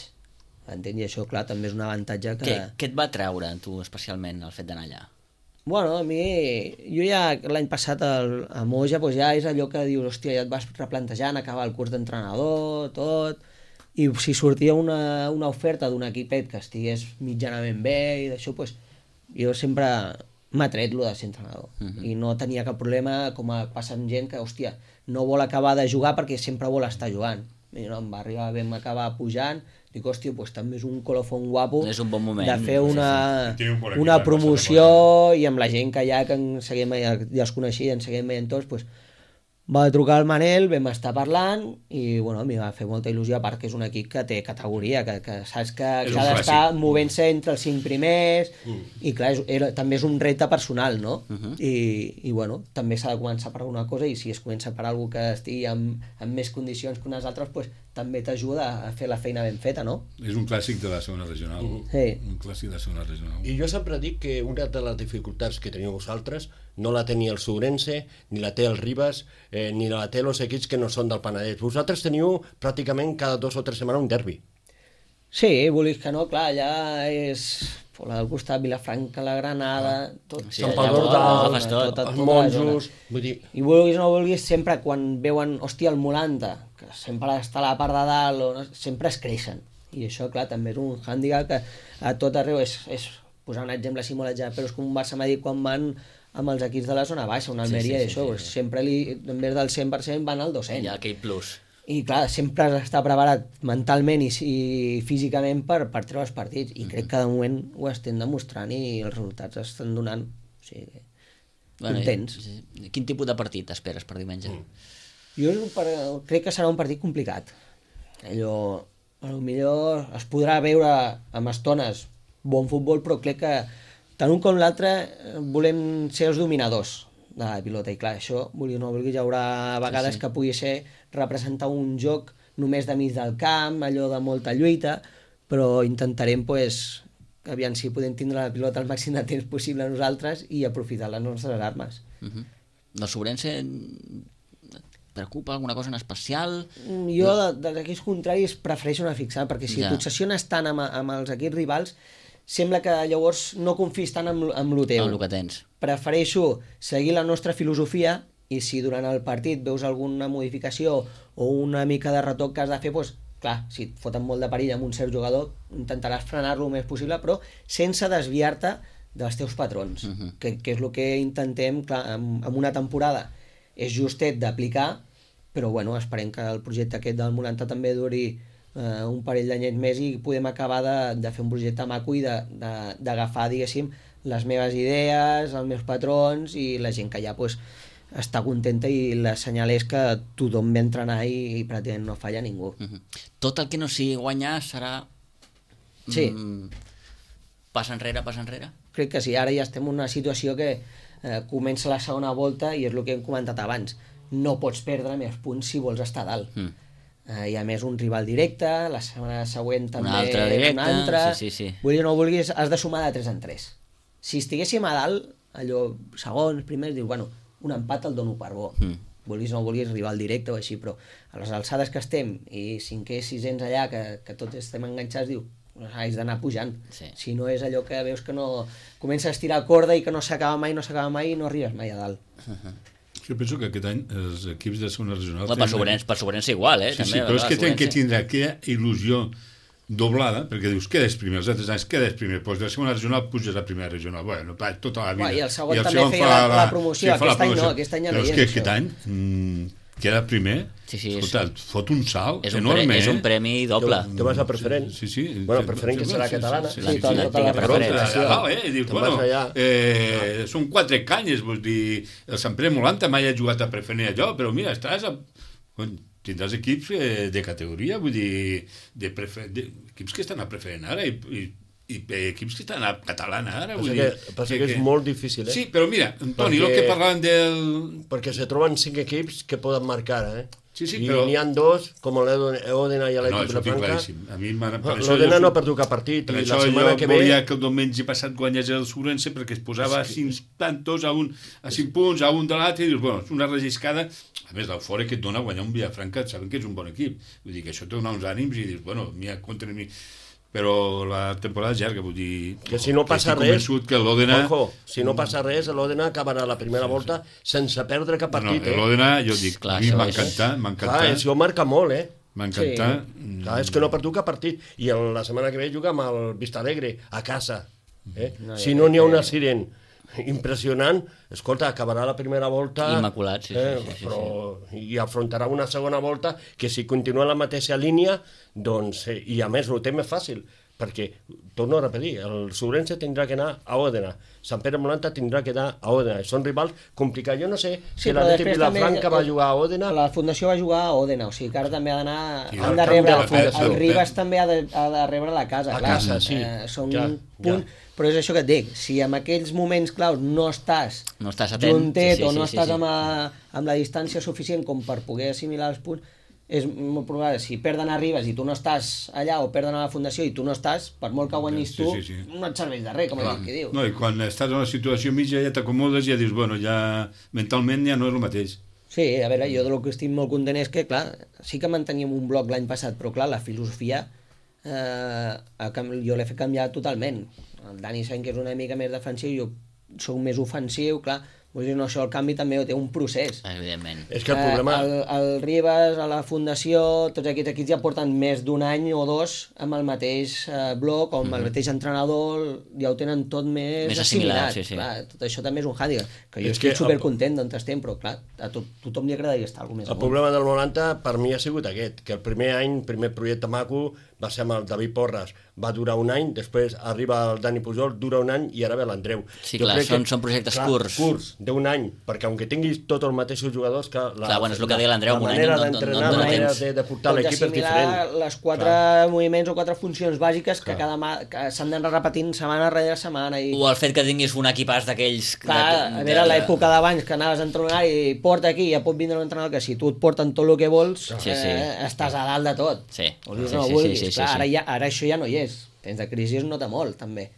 Entens? I això, clar, també és un avantatge que... Què, què et va treure, tu, especialment, el fet d'anar allà? Bueno, a mi, jo ja l'any passat el, a Moja doncs ja és allò que dius, hòstia, ja et vas replantejant, acabar el curs d'entrenador, tot, i si sortia una, una oferta d'un equipet que estigués mitjanament bé i d'això, doncs jo sempre m'ha tret lo de ser entrenador. Uh -huh. I no tenia cap problema, com a passa amb gent que, hòstia, no vol acabar de jugar perquè sempre vol estar jugant. I no, em va arribar, vam acabar pujant, dic, hòstia, doncs també és un colofón guapo és un bon moment, de fer una, sí, sí. Un bon una equip, promoció i amb la gent que ja, que en seguim, ja els coneixia, ens seguim veient tots, doncs, va trucar al Manel, vam estar parlant i bueno, a mi va fer molta il·lusió, a part que és un equip que té categoria, que, que saps que, que ha d'estar movent-se entre els cinc primers mm. i clar, és, era, també és un repte personal, no? Uh -huh. I, i bueno, també s'ha de començar per alguna cosa i si es comença per algú que estigui amb, amb més condicions que unes altres, pues, també t'ajuda a fer la feina ben feta, no? És un clàssic de la segona regional. Uh -huh. Sí. Un clàssic de la segona regional. I jo sempre dic que una de les dificultats que teniu vosaltres no la tenia el Sourense, ni la té el Ribas, eh, ni la té els equips que no són del Penedès. Vosaltres teniu pràcticament cada dos o tres setmanes un derbi. Sí, vulguis que no, clar, allà és la del costat, Vilafranca, la Granada, tot, sí, Sant allà Pau d'Ordal, tot, tot, tota els la monjos... zona. Vull dir, I vulguis o no vulguis, sempre quan veuen, hòstia, el Molanta, que sempre està a la part de dalt, o no, sempre es creixen. I això, clar, també és un hàndicap que a tot arreu és, és posar un exemple així molt exagerat, però és com un Barça Madrid quan van amb els equips de la zona baixa, una Almeria, sí, sí, i això, sí, sí. sempre li, en vez del cent per cent van al dos cents. Hi ha aquell plus. I clar, sempre has d'estar preparat mentalment i, i físicament per, per treure els partits, i crec que de moment ho estem demostrant i els resultats estan donant, o sigui, bueno, contents. I, quin tipus de partit esperes per diumenge? Mm. Jo per, crec que serà un partit complicat. Allò, potser es podrà veure amb estones bon futbol, però crec que tant un com l'altre volem ser els dominadors de la pilota, i clar, això, vulgui o no vulgui, hi haurà vegades sí, sí. que pugui ser representar un joc només de mig del camp, allò de molta lluita, però intentarem, pues, aviam si podem tindre la pilota el màxim de temps possible nosaltres i aprofitar les nostres armes. Uh -huh. El Sourense preocupa alguna cosa en especial? Jo, de, dels equips contraris, prefereixo no fixar, perquè si ja. t'obsessiones tant amb, amb els equips rivals, sembla que llavors no confis tant amb, amb el teu. Amb el que tens. Prefereixo seguir la nostra filosofia i si durant el partit veus alguna modificació o una mica de retoc que has de fer, doncs, clar, si et foten molt de perill amb un cert jugador, intentaràs frenar-lo el més possible, però sense desviar-te dels teus patrons, uh -huh. que, que és el que intentem, clar, en, en una temporada és justet d'aplicar, però bueno, esperem que el projecte aquest del Molanta també duri eh, un parell d'anyets més i podem acabar de, de fer un projecte maco i d'agafar, diguéssim, les meves idees, els meus patrons i la gent que ja pues, està contenta, i la senyal és que tothom ve a entrenar i, i pràcticament no falla ningú. Uh -huh. Tot el que no sigui guanyar serà sí. mm, passa enrere, passa enrere? Crec que sí, ara ja estem en una situació que eh, comença la segona volta i és el que hem comentat abans, no pots perdre més punts si vols estar a dalt. Mm. Uh, i a més un rival directe, la setmana següent també una altra directa, una altra. Sí, sí, sí. Vulguis o no vulguis, has de sumar de tres en tres. Si estiguéssim a dalt, allò segons, primers, dius, bueno, un empat el dono per bo. Mm. Vulguis o no vulguis, rival directe o així, però a les alçades que estem i cinquè, sisens allà, que, que tots estem enganxats, diu, has d'anar pujant. Sí. Si no és allò que veus que no comença a estirar corda i que no s'acaba mai, no s'acaba mai i no arribes mai a dalt. Uh -huh. Jo penso que aquest any els equips de segona regional... Per Sourense, per Sourense igual, eh? Sí, també, sí, però és que tenen que Sourense. tindre aquella il·lusió doblada, perquè dius, quedes primer, els altres anys quedes primer, doncs de la segona regional puges a primera regional, bueno, tota la vida. Uà, I el segon I el també segon feia la, la promoció, sí, aquest any no, aquest any ja no hi és. Però és que aquest any mm, queda primer, sí, sí, escolta, és, fot un salt és un enorme. Pre, és un premi doble. Tu, tu vas a preferent. Sí, sí. Bueno, preferent que serà catalana. Sí, sí, sí, tota la preferència. Eh? Dius, bueno, eh, són quatre canyes, vull dir, el Sant Pere Molanta mai ha jugat a preferent allò, però mira, estàs a... tindràs equips eh, de categoria, vull dir, de prefer... de... equips que estan a preferent ara i, i, i equips que estan a catalana ara. Vull que, dir, passa que, que és molt difícil, eh? Sí, però mira, Toni, el que parlàvem del... Perquè se troben cinc equips que poden marcar, eh? Sí, sí, I però... n'hi ha dos, com l'Òdena i l'Equip no, de Franca. A mi no, L'Òdena no ha perdut cap partit. Per I això la setmana jo que volia ve... que el diumenge passat guanyés el Sourense perquè es posava a cinc tantos, a, un, a cinc punts, a un de l'altre, i dius, bueno, és una relliscada. A més, l'eufòria que et dona guanyar un Vilafranca, saben que és un bon equip. Vull dir que això te dona uns ànims i dius, bueno, mira, contra mi... però la temporada és llarga, vull dir... Que si no passa que res... que l'Òdena... Ojo, si no passa res, l'Òdena acabarà la primera volta sense perdre cap partit, no, eh? L'Òdena, jo dic, Clar, a mi això m'ha és- encantat, m'ha Clar, encantat, això marca molt, eh? m'ha encantat. Clar, és que no ha perdut cap partit. I el- la setmana que ve juga amb el Vistalegre, a casa. Eh? No, si jo no crec n'hi ha un que- accident impressionant, escolta, acabarà la primera volta... Immaculat, sí, sí, eh, sí, sí, sí. però, I afrontarà una segona volta que si continua en la mateixa línia, doncs... Eh, I a més, ho té més fàcil, perquè, torno a repetir, el Sobrense tindrà que anar a Òdena, Sant Pere Molanta tindrà que anar a Òdena. Són rivals complicats. Jo no sé si Sí, però l'Atleti després Vilafranca també- va jugar a Òdena... La Fundació va jugar a Òdena, o sigui que ara també ha d'anar... Sí, Han al de camp rebre... de la Fundació. El Ribas també ha de, ha de rebre la casa, A clar. casa, sí. Eh, són Ja, un punt... ja. Però és això que et dic, si en aquells moments claus no estàs, No estàs atent. juntet Sí, sí, o no sí, sí, estàs sí. Amb, a, amb la distància suficient com per poder assimilar els punts, és molt probable, si perden a Ribas i tu no estàs allà, o perden a la Fundació i tu no estàs, per molt que guanyis Sí, tu, sí, sí. no et serveix de res, com Clar. aquell que diu. No, i quan estàs en una situació mitja ja t'acomodes i ja dius, bueno, ja mentalment ja no és el mateix. Sí, a veure, jo del que estic molt content és que, clar, sí que manteníem un bloc l'any passat, però clar, la filosofia eh, ha canvi- jo l'he fet canviar totalment. El Dani sabem que és una mica més defensiu, jo sóc més ofensiu, clar, vull dir, no, això el canvi també té un procés. Evidentment. És que el problema... Eh, el, el Ribas, a la Fundació, tots aquests equips ja porten més d'un any o dos amb el mateix eh, bloc, o amb el mateix entrenador, ja ho tenen tot més, Més assimilat, assimilat. sí, sí. Clar, tot això també és un hàndicap, que jo És estic que supercontent d'on estem, però clar, a to tothom li agradaria estar alguna més El amunt. problema del noranta per mi ha sigut aquest, que el primer any, el primer projecte maco, va ser amb el David Porras, va durar un any, després arriba el Dani Pujol, dura un any i ara ve l'Andreu. Sí, Jo clar, crec són- són projectes curts. curts, d'un any, perquè aunque tinguis tots els mateixos jugadors, que la, Clar, bueno, és el que deia l'Andreu, la un any manera no- no- d'entrenar, no la dona manera temps. de, de portar Pots l'equip és assimilar diferent. les quatre moviments o quatre funcions bàsiques que, cada ma que s'han d'anar repetint setmana rere setmana. I... O el fet que tinguis un equipàs d'aquells... Clar, de- a veure, de- l'època d'abans que anaves a entrenar i porta aquí, ja pot vindre un entrenador que si tu et porten tot el que vols, Sí, sí. Eh, estàs a dalt de tot. Sí. Vulguis Sí, o no sí, vulguis. sí, sí, Clar, sí, ara, sí. ja, ara això ja no hi és. Temps de crisi es nota molt, també.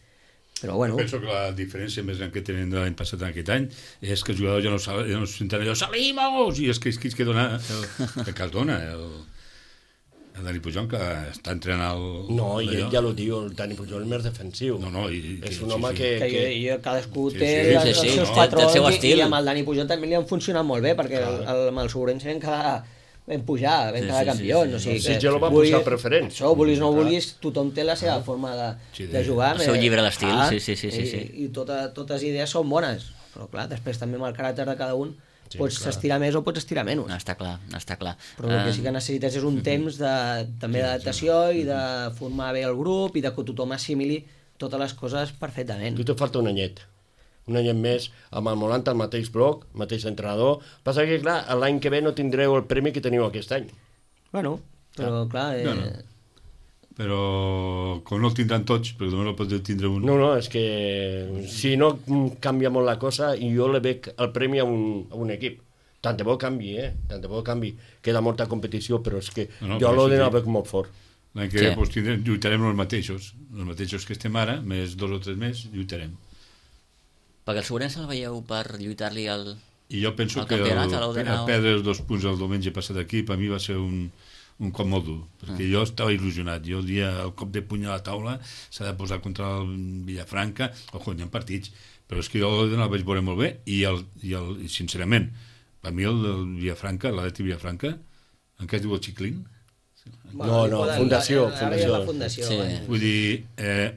Però bueno, Penso que la diferència més gran que tenen de l'any passat en aquest any és que els jugadors ja no, sal, ja no se senten allò, salimos! I és que és que, és que dona el, el que es dona, el, el Dani Pujol, que està entrenant el... No, i ell allò. ja ho diu, el Dani Pujol és més defensiu. No, no, i, és que- un sí, home sí. que... que, que... jo, jo, cadascú Sí, té sí, les, sí, els sí, seus no, patrons té el seu i, estil. i amb el Dani Pujol també li han funcionat molt bé, perquè el, el, amb el Sobrense vam quedar vam pujar, vam Sí, quedar sí, sí, campions. sí. O sigui Sí, que jo el va vulgui- posar preferent. Això, vulguis o no Clar. vulguis, tothom té la seva forma de, Sí, de de- jugar. el seu eh, llibre d'estil, clar, sí, sí, sí, sí, I, sí. i tota, totes idees són bones, però clar, després també amb el caràcter de cada un Sí, pots clar. estirar més o pots estirar menys. No, està clar, no està clar. Però el que sí que Eh, necessites és un temps de, també d'adaptació i de formar bé el grup i de que tothom assimili totes les coses perfectament. Tu te falta un anyet. Un anyet més, amb el Molanta, el mateix bloc, mateix entrenador. Passa que, clar, l'any que ve no tindreu el premi que teniu aquest any. Bueno, però clar... Eh, No, no. Però com no el tindran tots, perquè només el pot tindre un... No, no, és que si no canvia molt la cosa, i jo le veig el premi a un, a un equip. Tant de bo canvi, eh? Tant de bo canvi. Queda molta competició, però és que No, no, jo però l'Òdena sí, el sí. veig molt fort. L'any que ve Sí. doncs, tindrem, lluitarem els mateixos. Els mateixos que estem ara, més dos o tres més, lluitarem. perquè el Sobrense el veieu per lluitar-li al... I jo penso El que el, campionat, a l'Òdena, o- perdre els dos punts el diumenge passat aquí, per mi va ser un, un cop molt dur, perquè Ah. jo estava il·lusionat. Jo el dia, el cop de puny a la taula s'ha de posar contra el Villafranca, ojo, hi ha partits, però és que jo l'Òdena el vaig veure molt bé, i, el, i, el, i sincerament, per mi el del Villafranca, l'Atleti Villafranca, en què es diu el Xiclín? No, no, fundació, Ara ja és la fundació. fundació. Sí. eh? Vull dir, eh,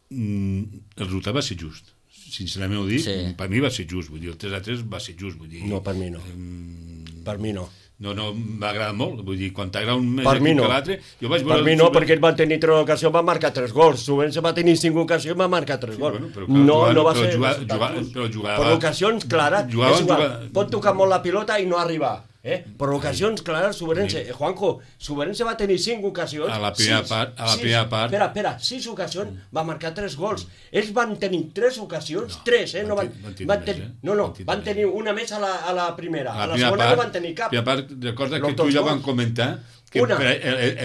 mm, el resultat va ser just. Sincerament ho dic, Sí. per mi va ser just. Vull dir, el tres a tres va ser just. Vull dir, No, per mi no. Mm, Per mi no. no, no, m'ha agradat molt. Vull dir, quan t'agrada un més Per mi equip no. que l'altre... Jo vaig Per veure mi el no, Super- perquè ell va tenir tres ocasions, va marcar tres gols. Sobrense va tenir cinc ocasions, va marcar tres gols. bueno, però clar, no, jugava- no va però ser... jugava- resultat jugava- just. però jugava- Per ocasions clares, jugava- és igual. jugava- Pot tocar molt la pilota i no arribar. Eh? Per ocasions clares, Sobrense... Eh, Juanjo, Sobrense va tenir cinc ocasions... A la primera sis, part- a la sis, primera part. Espera, espera, sis ocasions, va marcar tres gols. Ells van tenir tres ocasions, No, tres, eh? van No van, ten- van tenir van més, tenir, eh? no, no, Van tenir van més. tenir una més a la, a la primera. A A la primera segona part, no van tenir cap. primera part, recorda que Los tu dos ja gols. vam comentar que una.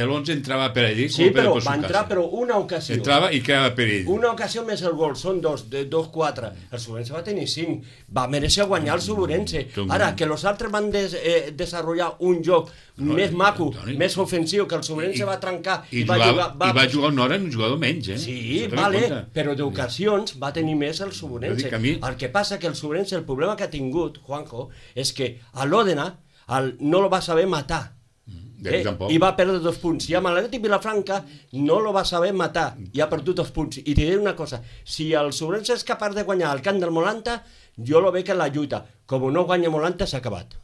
l'onze entrava per allí. Sí, però va entrar però una ocasió. Entrava i quedava per ell. Una ocasió més el gol, són dos, de, dos, quatre. El Suburense va tenir cinc. Va mereixer guanyar el Suburense. Ara, que els altres van des, eh, desenvolupar un joc no, més maco, Toni, més ofensiu, que el Suburense va trencar i, i, va, jugava, jugar, va... i va jugar una hora en un jugador menys, eh? Sí, vale, però d'ocasions va tenir més el Suburense. Mi... El que passa que el Suburense, el problema que ha tingut, Juanjo, és que a l'Òdena no lo va saber matar. Eh? I va perdre dos punts. I amb l'Atlètic Vilafranca no lo va saber matar i ha perdut dos punts. I te diré una cosa, si el Suburense és capaç de guanyar el camp del Molanta, jo lo veig en la lluita. Com no guanya Molanta, s'ha acabat.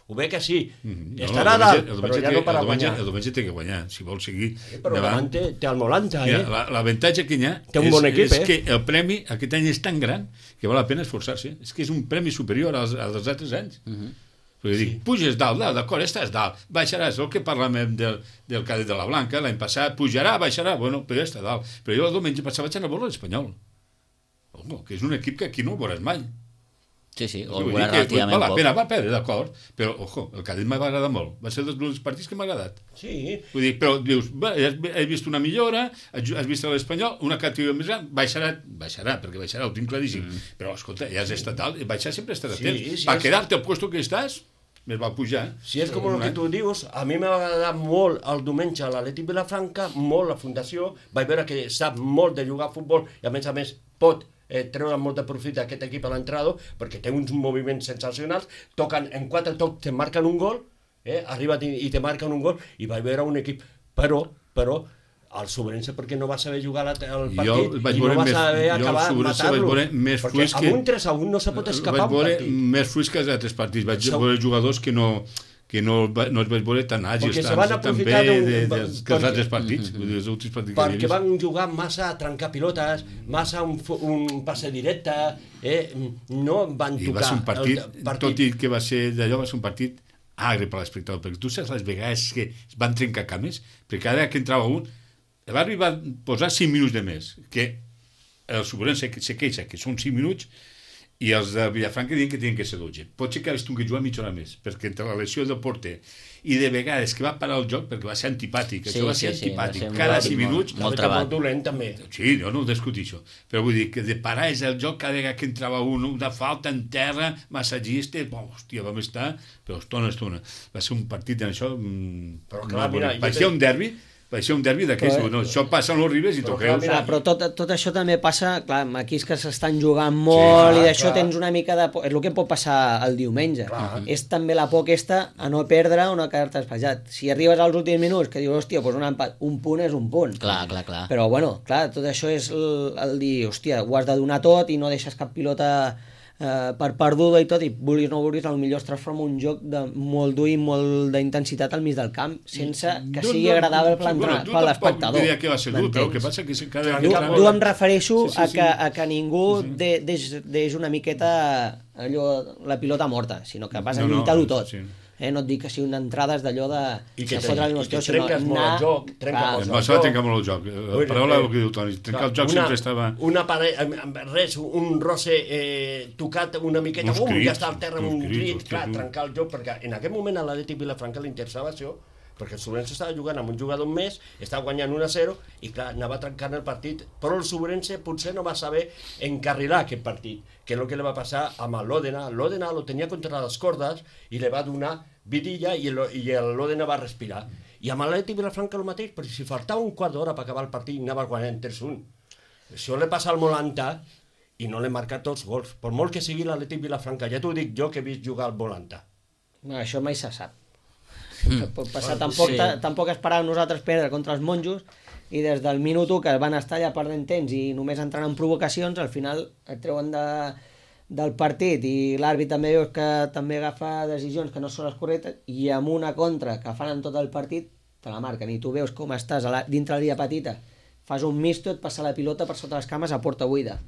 Ho veig que sí. Mm-hmm. Estarà no, dalt, però ja no per a guanyar. El diumenge té que guanyar, si vol seguir eh, però davant. Té, té el Molanta, eh? L'avantatge que hi ha té un bon és, equip, és eh? que el premi aquest any és tan gran que val la pena esforçar-se. És que és un premi superior als, als altres anys. Mm-hmm. Perquè sí. Dic, puges dalt, dalt, d'acord, estàs dalt, baixaràs, el que parlàvem del, del Cadet de la Blanca, l'any passat, pujarà, baixarà, bueno, però ja està dalt. Però jo el diumenge passat vaig anar a veure l'Espanyol, oh, que és un equip que aquí no el veuràs mai. Sí, sí, o el veuràs relativament poc. Va, poc. pena, va perdre, d'acord, però, ojo, el Cadet m'ha agradat molt, va ser dels partits que m'ha agradat. Sí. Vull dir, però dius, va, has vist una millora, has vist l'Espanyol, una categoria més gran, baixarà, baixarà, perquè baixarà, ho tinc claríssim, mm. però, escolta, ja has estat dalt, baixar sempre estarà sí, temps. Sí, per és... quedar-te al puesto que estàs, més va pujar. Si és com el que tu dius, a mi m'ha agradat molt el diumenge a l'Atlètic Vilafranca, molt la fundació, vaig veure que sap molt de jugar a futbol i a més a més pot eh, treure molt de profit d'aquest equip a l'entrada perquè té uns moviments sensacionals, toquen en quatre tocs, te marquen un gol, eh, arriba i te marquen un gol i vaig veure un equip, però, però el Suburense perquè no va saber jugar el partit i no va saber més, acabar matar-lo perquè amb un tres a un no se pot escapar un partit. Vaig veure més fluix que els altres partits, vaig so... veure jugadors que no que no, no els vaig veure tan àgils tant, tan bé de, de, de, que els altres partits, mm -hmm. els últims partits perquè que van jugar massa a trencar pilotes, massa un, un passe directe, eh? No van tocar. I va ser un partit, partit, tot i que va ser d'allò, va ser un partit agre per l'espectador, perquè tu saps les vegades que es van trencar cames, perquè cada que entrava un l'àrbitre va posar cinc minuts de més, que el Suburense se queixa que són cinc minuts i els de Vilafranca diuen que tenen que ser dotze. Pot ser que hagués tingut que jugar mitja hora més, perquè entre la lesió del porter i de vegades que va parar el joc perquè va ser antipàtic, sí, això va ser sí, antipàtic, sí, va ser cada cinc minuts... Molt trebat. Molt dolent, també. Sí, jo no ho discutixo, però vull dir que de parar és el joc cada vegada que entrava un, una falta en terra, massatgista, oh, hòstia, vam estar, però estona, estona. Va ser un partit en això... Però clar, mira... Va ser un derbi, va ser un derbi d'aquells, però, no, això passa en els Ribes i t'ho creus. Clar, però tot, tot això també passa, clar, aquí és que s'estan jugant molt sí, i d'això tens una mica de por, és el que pot passar el diumenge. Clar. És també la por aquesta a no perdre o no quedar-te espatjat. Si arribes als últims minuts que dius, hòstia, doncs un empat, un punt és un punt. Clar, clar, clar. Però bueno, clar, tot això és el, el dir, hòstia, ho has de donar tot i no deixes cap pilota eh, per perduda i tot, i vulguis o no vulguis, potser es transforma un joc de molt dur i molt d'intensitat al mig del camp, sense que sigui agradable per l'espectador. No diria que va ser dur, però el que passa que... Cada... Dur, dur em refereixo sí, sí, sí. A, que, a que ningú sí, sí. deix, deix una miqueta allò, la pilota morta, sinó que vas a no, lluitar-ho tot. Sí. Eh, no et dic que sigui una entrada és d'allò de... I que, te, i que trenques molt el joc. Trenca molt el joc. Trenca molt el joc. La paraula és el que diu Toni. Trencar el joc una, sempre estava... Una paret, res, un roce eh, tocat una miqueta, um, ja està al terra amb un crit, clar, trencar el joc, perquè en aquest moment a l'Atlètic Vilafranca li interessava això, perquè el Suburense estava jugant amb un jugador més, estava guanyant un a zero, i clar, anava trencant el partit, però el Suburense potser no va saber encarrilar aquest partit, que és el que li va passar amb l'Òdena. L'Òdena lo tenia contra les cordes i li va donar vidilla i l'Òdena va respirar. I amb l'Atlètic Vilafranca el mateix, perquè si faltava un quart d'hora per acabar el partit anava guanyant tres un. Això li passa al Molanta i no l'he marcat tots gols. Per molt que sigui l'Atlètic Vilafranca, ja t'ho dic jo que he vist jugar al Molanta. No, això mai se sap. Mm. Pot passar, tampoc, sí. tampoc esperàvem nosaltres perdre contra els monjos i des del minut u que van estar allà perdent temps i només entrant en provocacions, al final et treuen de, del partit i l'àrbit també veus que també agafa decisions que no són les correctes i amb una contra que fan en tot el partit te la marquen i tu veus com estàs a la, dintre la via petita, fas un misto, et passa la pilota per sota les cames a porta buida,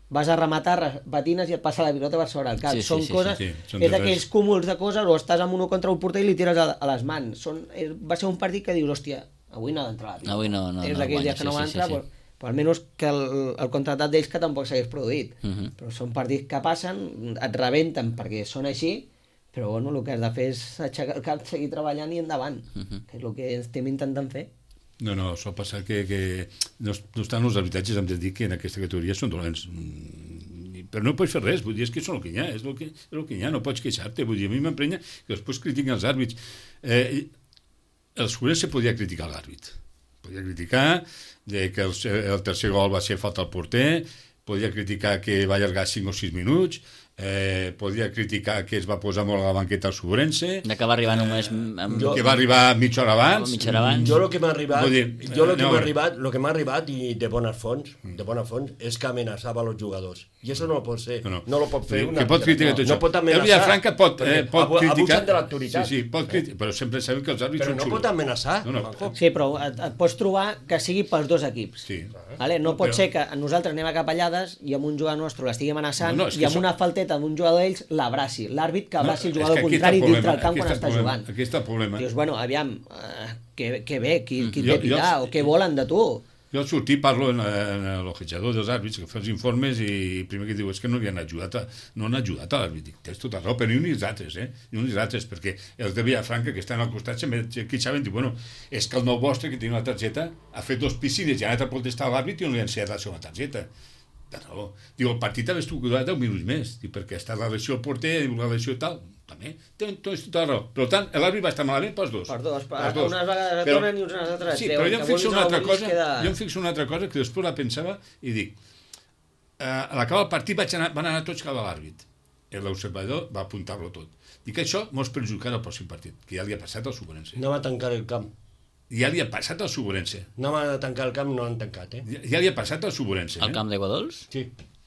vas a rematar, patines i et passa la pilota per sobre el cap. Sí, sí, són sí, coses, sí, sí. Són és d'aquells cúmuls de coses, o estàs amb un contra un porter i li tires a, a les mans. Són, va ser un partit que dius, hòstia, avui no ha d'entrar la pilota. Avui no, no, és no d'aquells guanya, dies que no sí, van entrar, sí, sí, sí. Però, però almenys que el, el contratat d'ells que tampoc s'hagués produït. Uh -huh. Però són partits que passen, et rebenten perquè són així, Però bueno, el que has de fer és aixecar el cap, seguir treballant i endavant, Uh-huh. que és el que estem intentant fer. No, no, sol passar que, que no, no estan els arbitratges, hem de dir que en aquesta categoria són dolents. Mm, però no pots fer res, vull dir, és que són el que hi ha, és el que, és el que hi ha, no pots queixar-te, vull dir, a mi m'emprenya que després critiquen els àrbits. Eh, el Sobirens se podia criticar l'àrbit, podia criticar de que el, el tercer gol va ser falta al porter, podia criticar que va allargar cinc o sis minuts, eh, podia criticar que es va posar molt a la banqueta al Sobrense, De que va arribar només... Amb... Jo- que va arribar mitja hora abans. Mitja hora abans. Jo el que m'ha arribat, Vull dir, jo el que no, m'ha a veure. arribat, lo que m'ha arribat i de bones fonts, de bones fonts, és que amenaçava els jugadors. I això no ho pot ser, No, no, no. no lo pot fer Que una pot criticar no, tot això. no pot El amenaçar. Vilafranca pot, eh, perquè pot abu- criticar... abusen de l'autoritat. Sí, sí, pot criticar, però sempre sabem que els àrbits Però són no xulos. pot amenaçar. No, no. Juanjo. Sí, però et, et pots trobar que sigui pels dos equips. Sí. Vale? No pot Però- ser que nosaltres anem a capellades i amb un jugador nostre l'estigui amenaçant No, no, és que i amb això- una falteta d'un jugador d'ells l'abraci. L'àrbit que abraci el és jugador que aquí està contrari el dintre problema, el camp aquí quan està el està problema, jugant. aquí està el problema. Dius, bueno, aviam, eh, que, que bé, qui, qui Jo- et té jo- pirar o què volen de tu? Jo al sortir parlo en, en l'ojetjador dels àrbits, que fa els informes i primer que diu és que no li han ajudat a, no han ajudat a l'àrbit. Dic, tens tota raó, però ni uns ni els altres, eh? Ni uns ni els altres, perquè els de Vilafranca que estan al costat sempre queixaven, diu, bueno, és que el nou vostre que tenia una targeta ha fet dos piscines i ha anat a protestar a l'àrbit i no li han ensenyat la seva targeta. De raó. Diu, el partit ha estat durat deu minuts més, diu, perquè està la lesió al porter, diu, la lesió i tal. També, tens tota la raó. Per tant, l'àrbit va estar malament pels dos. Per dos, per, Pels dos. unes vegades Però- retornen i unes altres Sí, treuen. però jo em Que fixo vulguis una o no altra vulguis cosa, queda- jo em fixo una altra cosa que després la pensava i dic, eh, a l'acabar el partit vaig anar, van anar tots cap a l'àrbit. L'observador va apuntar-lo tot. Dic que això mos perjudicarà el pròxim partit, que ja li ha passat al Sobrense. No va tancar el camp. Ja li ha passat al Sobrense. No va tancar el camp, no han tancat, eh? Ja, ja li ha passat al Sobrense. Al Eh? camp d'aigua dolç? Sí.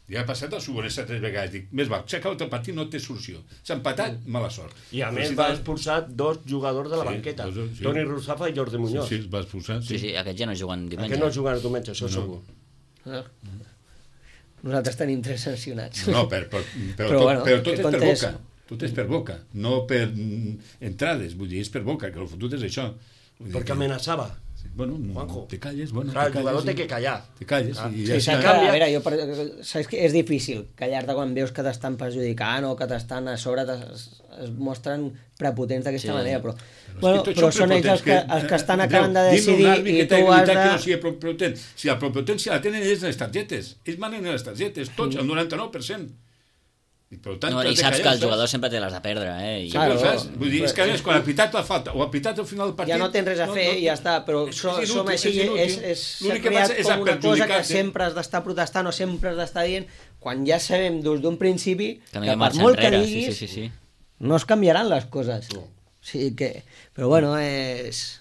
Ja ha passat al Sobrense tres vegades. Dic, més val, s'ha acabat el partit, no té solució. S'ha empatat, mala sort. I a Però més si va tal- expulsar dos jugadors de la Sí, banqueta, dos, sí. Toni Russafa i Jordi Muñoz. Sí, sí, es va expulsar. Sí, sí, aquests ja no juguen diumenge. Aquest no juguen el diumenge, això No. segur. Ah. Nosaltres tenim tres sancionats. No, per, per, però, Però, tot, bueno, però tot que és per comptes- boca. Tot és per boca, no per mm, entrades, vull dir, és per boca, que el fotut és això. Vull dir Perquè que- amenaçava. Sí, bueno, Juanjo. te calles, bueno, Clar, el te jugador calles, té que callar. Te calles Ah. i Sí, ja s'ha està. que, a canvia- veure, jo, per, saps que és difícil callar-te quan veus que t'estan perjudicant o que t'estan a sobre, es, es mostren prepotents d'aquesta Sí. manera, però, Però, bueno, és que tots però són són ells els que, prepotents, els que estan eh, acabant de Déu, dime decidir un àrbit i que té tu has habilitat de... que no sigui prepotent. Si la prepotència la tenen ells en les targetes, ells manen en les targetes, tots, el noranta-nou per cent. I, per tant, No, t'has I de saps que callar, el jugador sempre té les de perdre, eh? I... Claro. Sempre ho fas. Vull dir, és que a més, quan ha pitat la falta o ha pitat al final del partit... Ja no tens res a fer i ja està, però és- som, és som inútil, així, és inútil. és, és, s'ha L'únic que creat passa és com una cosa que perjudicar-te. sempre has d'estar protestant o sempre has d'estar dient, quan ja sabem des d'un principi Que no que, hi ha per marxa molt que enrere, diguis sí, sí, sí, sí. no es canviaran les coses. O sigui que... Però bueno, és...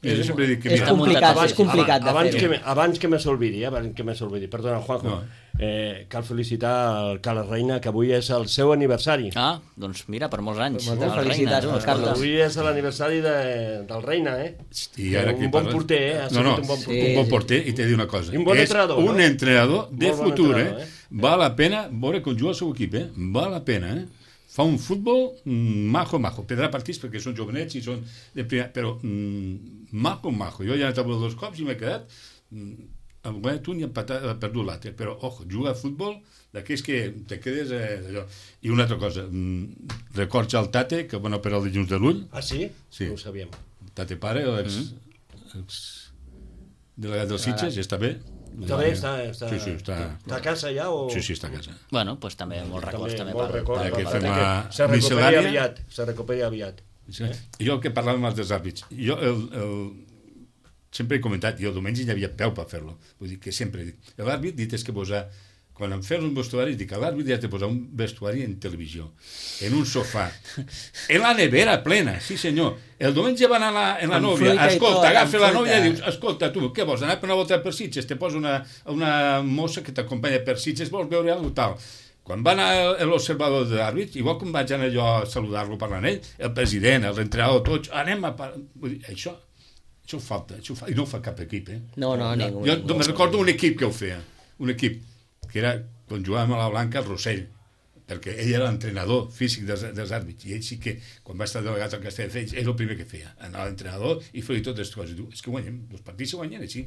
Jo sempre dic que és mira, complicat, abans- és complicat de abans, fer-ho. que, me- abans que me s'olvidi, eh, abans que me s'olvidi, perdona, Juanjo, No. eh, cal felicitar el Carles Reina, que avui és el seu aniversari. Ah, doncs mira, per molts anys. Moltes El Reina, felicitats tu, pel escolta. Carles. Avui és l'aniversari de, del Reina, eh? I ara un que bon parles- porter, eh? Ha No, no, sigut un bon porter. un bon porter, i t'he de dir una cosa. I un bon és entrenador, un no? entrenador de Molt bon futur, entrenador, eh? eh? Val la pena veure com juga el seu equip, eh? Val la pena, eh? Fa un futbol mm, majo, majo. Perdrà partits perquè són jovenets i són de primer, però mm, majo, majo. Jo ja he anat a veure dos cops i m'he quedat mm, amb guanyat un i empatat, he perdut l'altre. Però, ojo, juga a futbol d'aquells que te quedes eh, allò. I una altra cosa, mm, records al Tate, que van operar el dilluns de l'ull. Ah, sí? Sí. No ho sabíem. Tate pare, l'ex Mm-hmm. ex delegat dels Sitges, ja està bé. Està bé, està, està, Sí, sí, està... està a casa ja o... Sí, sí, està a casa. Bueno, doncs també molts records també, molt per, record, per- per- que per- fem que la se recuperi miscel·lània. aviat, se recuperi aviat. Sí. Jo que parlàvem amb els àrbits, jo el, el, sempre he comentat, jo el diumenge hi havia peu per fer-lo. Vull dir que sempre dic, l'àrbit dit és que posar, quan em fes un vestuari, dic, l'àrbit has de posar un vestuari en televisió, en un sofà, en la nevera plena, sí senyor. El diumenge van a la, en la Amb nòvia, fruita i escolta, tot, agafa amb la nòvia i fruita. dius, escolta, tu, què vols, anar per una volta per Sitges? Te posa una, una mossa que t'acompanya per Sitges, vols veure alguna tal? Quan va anar l'observador d'àrbits, igual com vaig anar jo a saludar-lo parlant ell, el president, l'entrenador, tots, anem a... par-". Vull dir, això, això ho falta, això ho fa, i no ho fa cap equip, eh? No, no, ningú. Jo ningú. me'n recordo un equip que ho feia, un equip, que era, quan jugàvem a la Blanca, el Rossell, perquè ell era l'entrenador físic dels, dels àrbits, i ell sí que, quan va estar delegat al Castelldefels, ell el primer que feia, anar a l'entrenador i fer-hi totes les coses. Diu, és que guanyem, els partits se guanyen així.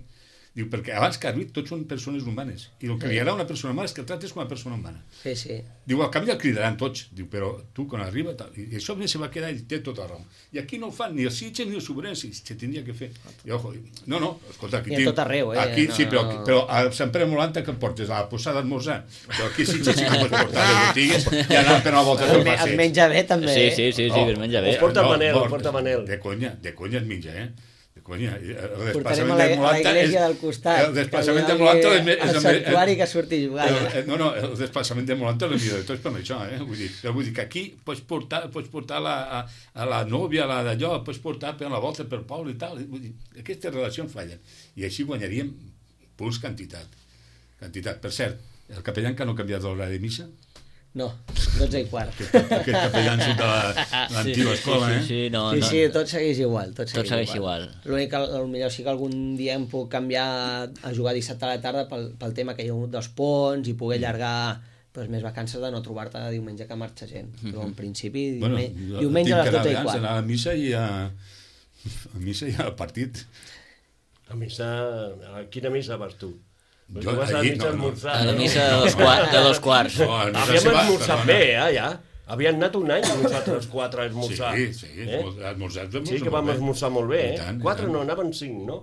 Diu, perquè abans que àrbit tots són persones humanes. I el que li agrada a una persona humana és que el tractes com a persona humana. Sí, sí. Diu, al canvi el cridaran tots. Diu, però tu, quan arriba... Tal, i això se va quedar i té tota la raó. I aquí no ho fan ni els Sitges ni els Sobrenys. Se tindria que fer. I, ojo, no, no, escolta, aquí... I a tot arreu, eh? Aquí, no, sí, però, no. però a Sant Pere Molanta que em portes a la posada d'esmorzar. Però aquí sí que sí que pots portar les botigues i anar per una volta del Es passeig. menja bé, també. Sí, sí, sí, sí, que es menja bé. Ho porta Manel, ho porta Manel. De conya, de conya es menja, eh? Conya, el Portarem desplaçament a la, de a la Molanta iglesia és... del costat. El desplaçament de Molanta és... és el santuari que surti a jugar. El, no, no, el desplaçament de Molanta és el millor de tots per això, eh? Vull dir, vull dir que aquí pots portar, pots portar la, a, a la nòvia, a la d'allò, pots portar per la volta per poble i tal. Vull dir, aquestes relacions fallen. I així guanyaríem punts quantitat. Quantitat. Per cert, el capellà que no ha canviat l'hora de missa? No, dotze i quart. Aquest, aquest capellà de l'antiga escola, sí, eh? sí, sí, no, Sí, no. sí, tot segueix igual. Tot segueix, Tot segueix igual. L'únic que potser sí que algun dia em puc canviar a jugar dissabte a la tarda pel, pel tema que hi ha hagut dels ponts i poder allargar pues, més vacances de no trobar-te diumenge que marxa gent. Però en principi Bueno, diumenge, diumenge a les dotze i abans, quart. anar a missa i a... a missa i al partit. A missa... A quina missa vas tu? Pues Jo tu vas a la allí, missa no, a no. esmorzar, A la no? missa de dos, quart, de dos quarts. No, a missa Havíem se va, esmorzat perdona. bé, eh, ja. Havíem anat un any nosaltres quatre a esmorzar. Sí, sí, eh? esmorzat Sí que vam esmorzar molt bé, I eh? tant, i Quatre tant. no, anaven cinc, no?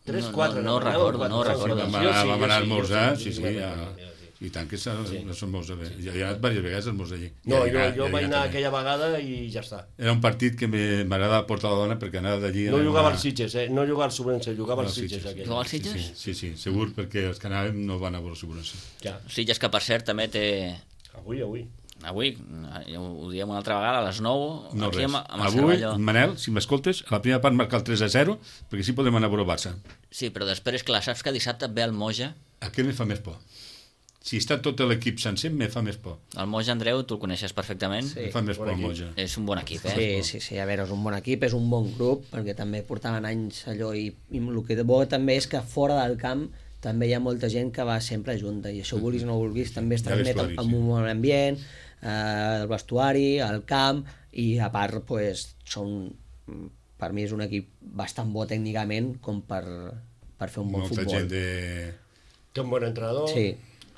Tres, No, quatre. no, no anaven, recordo, quatre, no quatre, recordo. sí, Vam jo anar, sí, vam jo anar a sí, jo esmorzar, sí, sí, jo sí, me'n ja... recordo, ja, sí. I tant que s'ha esmorzat bé. Jo he anat diverses vegades a esmorzar allí. No, I jo, allà- jo i vaig allà anar també. aquella vegada i ja està. Era un partit que me- m'agradava portar la dona perquè anava d'allí... No anava- jugava als Sitges, eh? No jugava al Sobrense, jugava als No, Sitges. Sitges. aquell. Jugava als Sitges? Sí, sí, sí, segur, perquè els que anàvem no van a veure l'assegurança. Ja, Sitges que, per cert, també té... avui, avui. Avui, ja ho diem una altra vegada, a les nou, No aquí res. amb, amb el Avui, Cervelló. Manel, si m'escoltes, a la primera part marcar el tres a zero, perquè sí podem anar a veure el Barça. Sí, però després, clar, saps que dissabte ve el Moja. Aquest me fa més por. Si està tot l'equip sencer, me fa més por. El Moja, Andreu, tu el coneixes perfectament. Sí. Me fa més bon por el equip. Moja. És un bon equip, eh? Sí, sí, sí, a veure, és un bon equip, és un bon grup, perquè també portaven anys allò, i, i el que de bo també és que fora del camp també hi ha molta gent que va sempre junta, i això vulguis o no vulguis, també es Ja transmet vestuari, amb sí. un bon ambient, eh, el vestuari, el camp, i a part, pues, són, per mi és un equip bastant bo tècnicament com per, per fer un bon Molta futbol. gent de... Té un bon entrenador. Sí.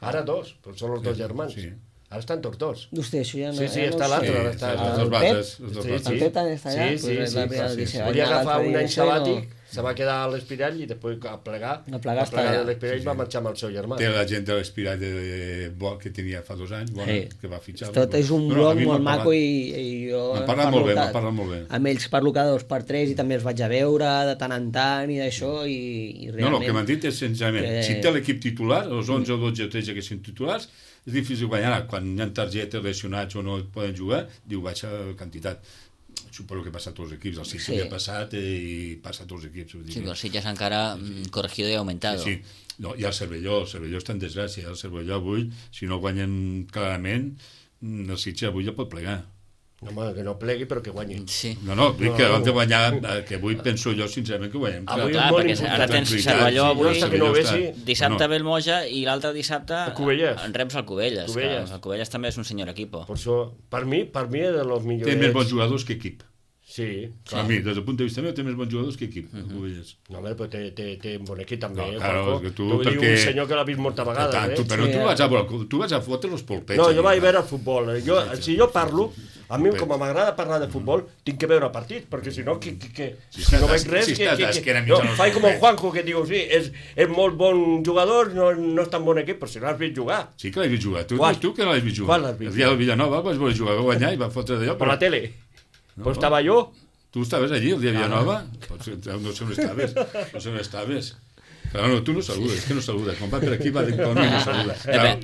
Ara dos, però són els dos germans. Sí. Ara estan tots dos. Hòstia, això ja no... Sí, sí, ja no està ho sé. l'altre, Sí, ara està- sí, el els dos Pep? bases, els dos Sí, bases. El Pep també està allà? Sí, Pues sí, és sí, la sí, primera sí. que se va Volia anar agafar l'altre un dia any això i no- sabàtic, se va quedar a l'Espirall i després a plegar. A plegar a plegar està de allà. l'Espirall Sí, va sí. marxar amb el seu germà. Té la gent de l'Espirall de, de, bo, que tenia fa dos anys, bona, Sí. que va fitxar. Tot és un No, no, a bloc mi m'ha molt maco parlat. i, i jo... M'ha parlat parlo molt bé, que- m'ha parlat molt bé. Amb ells parlo cada dos per tres i també els vaig a veure de tant en tant i d'això i, i No, realment... no, el que m'han dit és senzillament, que- si té l'equip titular, els onze o dotze o tretze que són titulars, és difícil guanyar. Quan hi ha targetes lesionats o no poden jugar, diu baixa quantitat. Suposo que passa a tots els equips. El Sitges Sí. ja ha passat i passa a tots els equips. Vull dir Sí, que- però el Sitges encara mm, corregido i aumentado. Sí, sí. No, i el Cervelló, el Cervelló està en desgràcia. El Cervelló avui, si no guanyen clarament, mm, el Sitges avui ja pot plegar. No, home, que no plegui, però que guanyi. Sí. No, no, dic No, que no. abans de guanyar, eh, que avui penso jo, sincerament, que guanyem. Però Avui clar, és molt perquè important. ara tens Tranquil·litat, Cervelló sí, avui, hasta que no Cervelló vegi. està- dissabte Bueno, ve el Moja i l'altre dissabte El Cubelles. en reps el Cubelles. Cubelles. Que el Cubelles també és un senyor equipo. Per això, per mi, per mi és de los millors. Té més bons jugadors que equip. Sí, Sí. A mi, des del punt de vista meu, té més bons jugadors que equip. Uh -huh. No, home, però té, té, té un bon equip també, No, eh, claro, Juanjo? és que tu, T'ho diu perquè- un senyor que l'ha vist moltes vegades, Tant, eh? tu, però Sí, tu eh. vas a, veure- tu vas a fotre els polpets. No, allà, jo vaig va. veure el futbol. eh. Jo, si jo parlo, a mi, com m'agrada parlar de futbol, tinc que veure partits, perquè si no, que, que, que, Si si no estàs- veig res... si que, estàs que, d'esquena que, mitja no, no faig es com pot el Juanjo, que diu, sí, és, és molt bon jugador, no, no és tan bon equip, però si no l'has vist jugar. Sí que l'has vist jugar. Tu, Quan? tu que no l'has vist jugar. Quan l'has vist El dia del Villanova vas veure jugar, va guanyar i va fotre d'allò. Per la tele. Pues estava jo. Tu estaves allí el dia de Villanova? Potser, no sé on estaves. No sé on estaves. Però no, tu no saludes, és que no saludes. Quan va per aquí va dir que no saluda. Clar,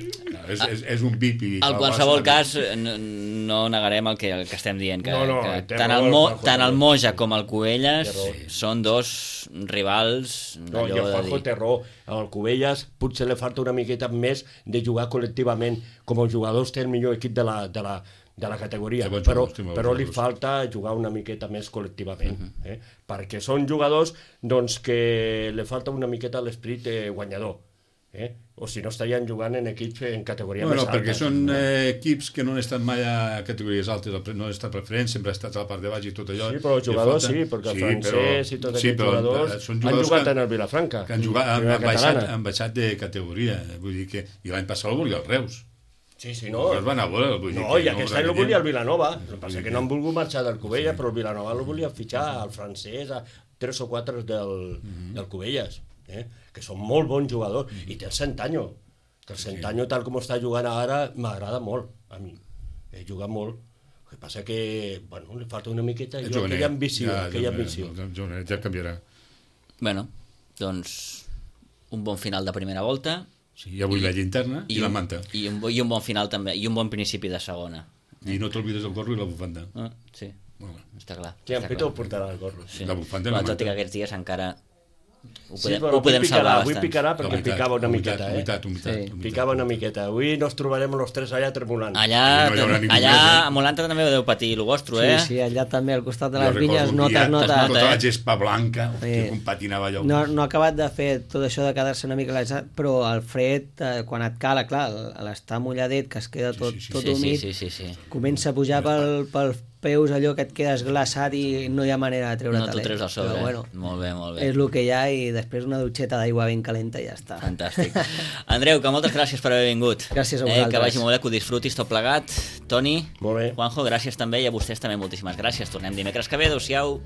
és, és, és un bip i... En qualsevol cas, no, no negarem el que, el que estem dient, que, No, no, que té tant, raó el el Mo, Juanjo, tant el també. Moja com el Cubelles Té raó. són dos rivals No, i el d'allò de Juanjo dir... té raó. Al Cubelles potser li falta una miqueta més de jugar col·lectivament. Com els jugadors té el millor equip de la, de la, de la categoria, Té bons però, jugadors, té bons però li jugadors. falta jugar una miqueta més col·lectivament, eh? perquè són jugadors doncs, que li falta una miqueta l'esperit eh, guanyador. Eh? O si no estarien jugant en equips en categoria bueno, més alta. perquè són eh, equips que no han estat mai a categories altes, no han estat preferent, sempre ha estat a la part de baix i tot allò. Sí, però els jugadors sí, perquè el sí, francès però, i tots sí, aquests jugadors, jugadors han jugat que, en el Vilafranca. Que han, jugat, han, han, baixat, han baixat de categoria. Vull dir que, i l'any passat el volia el Reus. Sí, sí, no. Es van a veure, vull dir no, que i aquest any el volia el Vilanova. El que passa que no han volgut marxar del Cubelles, sí. però el Vilanova el volia fitxar al francès, a tres o quatre del, mm-hmm. del Cubelles, eh? Que són molt bons jugadors. Mm-hmm. I té el Centanyo, que el Centanyo, tal com està jugant ara, m'agrada molt, a mi. He jugat molt. El que passa que, bueno, li falta una miqueta, jo, aquella ambició, ja, aquella ambició. Ja, ja canviarà. Bueno, doncs, un bon final de primera volta. Sí, ja vull la llinterna i, i la manta. I un, I un bon final també, i un bon principi de segona. I no t'olvides del gorro i la bufanda. Ah, sí, bueno, està clar. Sí, en Pito portarà el gorro. Sí. La bufanda i la manta. Tot i que aquests dies encara ho podem, sí, però ho podem picarà, salvar avui bastant. picarà perquè humitat, picava una humitat, miqueta, eh? Humitat, humitat, sí, humitat. Picava una miqueta. Avui nos trobarem els tres allà tremolant. Allà, no allà a Molanta també ho deu patir el vostre, eh? Sí, sí, allà també, al costat de les vinyes, notes, notes. Tota la gespa blanca, hòstia, com patinava allò. No, no ha acabat de fer tot això de quedar-se una mica glaçat, però el fred, eh, quan et cala, clar, a l'estar mulladet, que es queda tot, sí, sí, sí. tot sí, humit, sí, sí, sí, sí. comença a pujar pel, pel peus allò que et quedes glaçat i no hi ha manera de treure-te'l. No t'ho treus al sobre, però, bueno, molt bé, molt bé. És el que hi ha i després una dutxeta d'aigua ben calenta i ja està. Fantàstic. Andreu, que moltes gràcies per haver vingut. Gràcies a eh, vosaltres. Que vagi molt bé, que ho disfrutis tot plegat. Toni, molt bé. Juanjo, gràcies també i a vostès també moltíssimes gràcies. Tornem dimecres que ve, adéu-siau.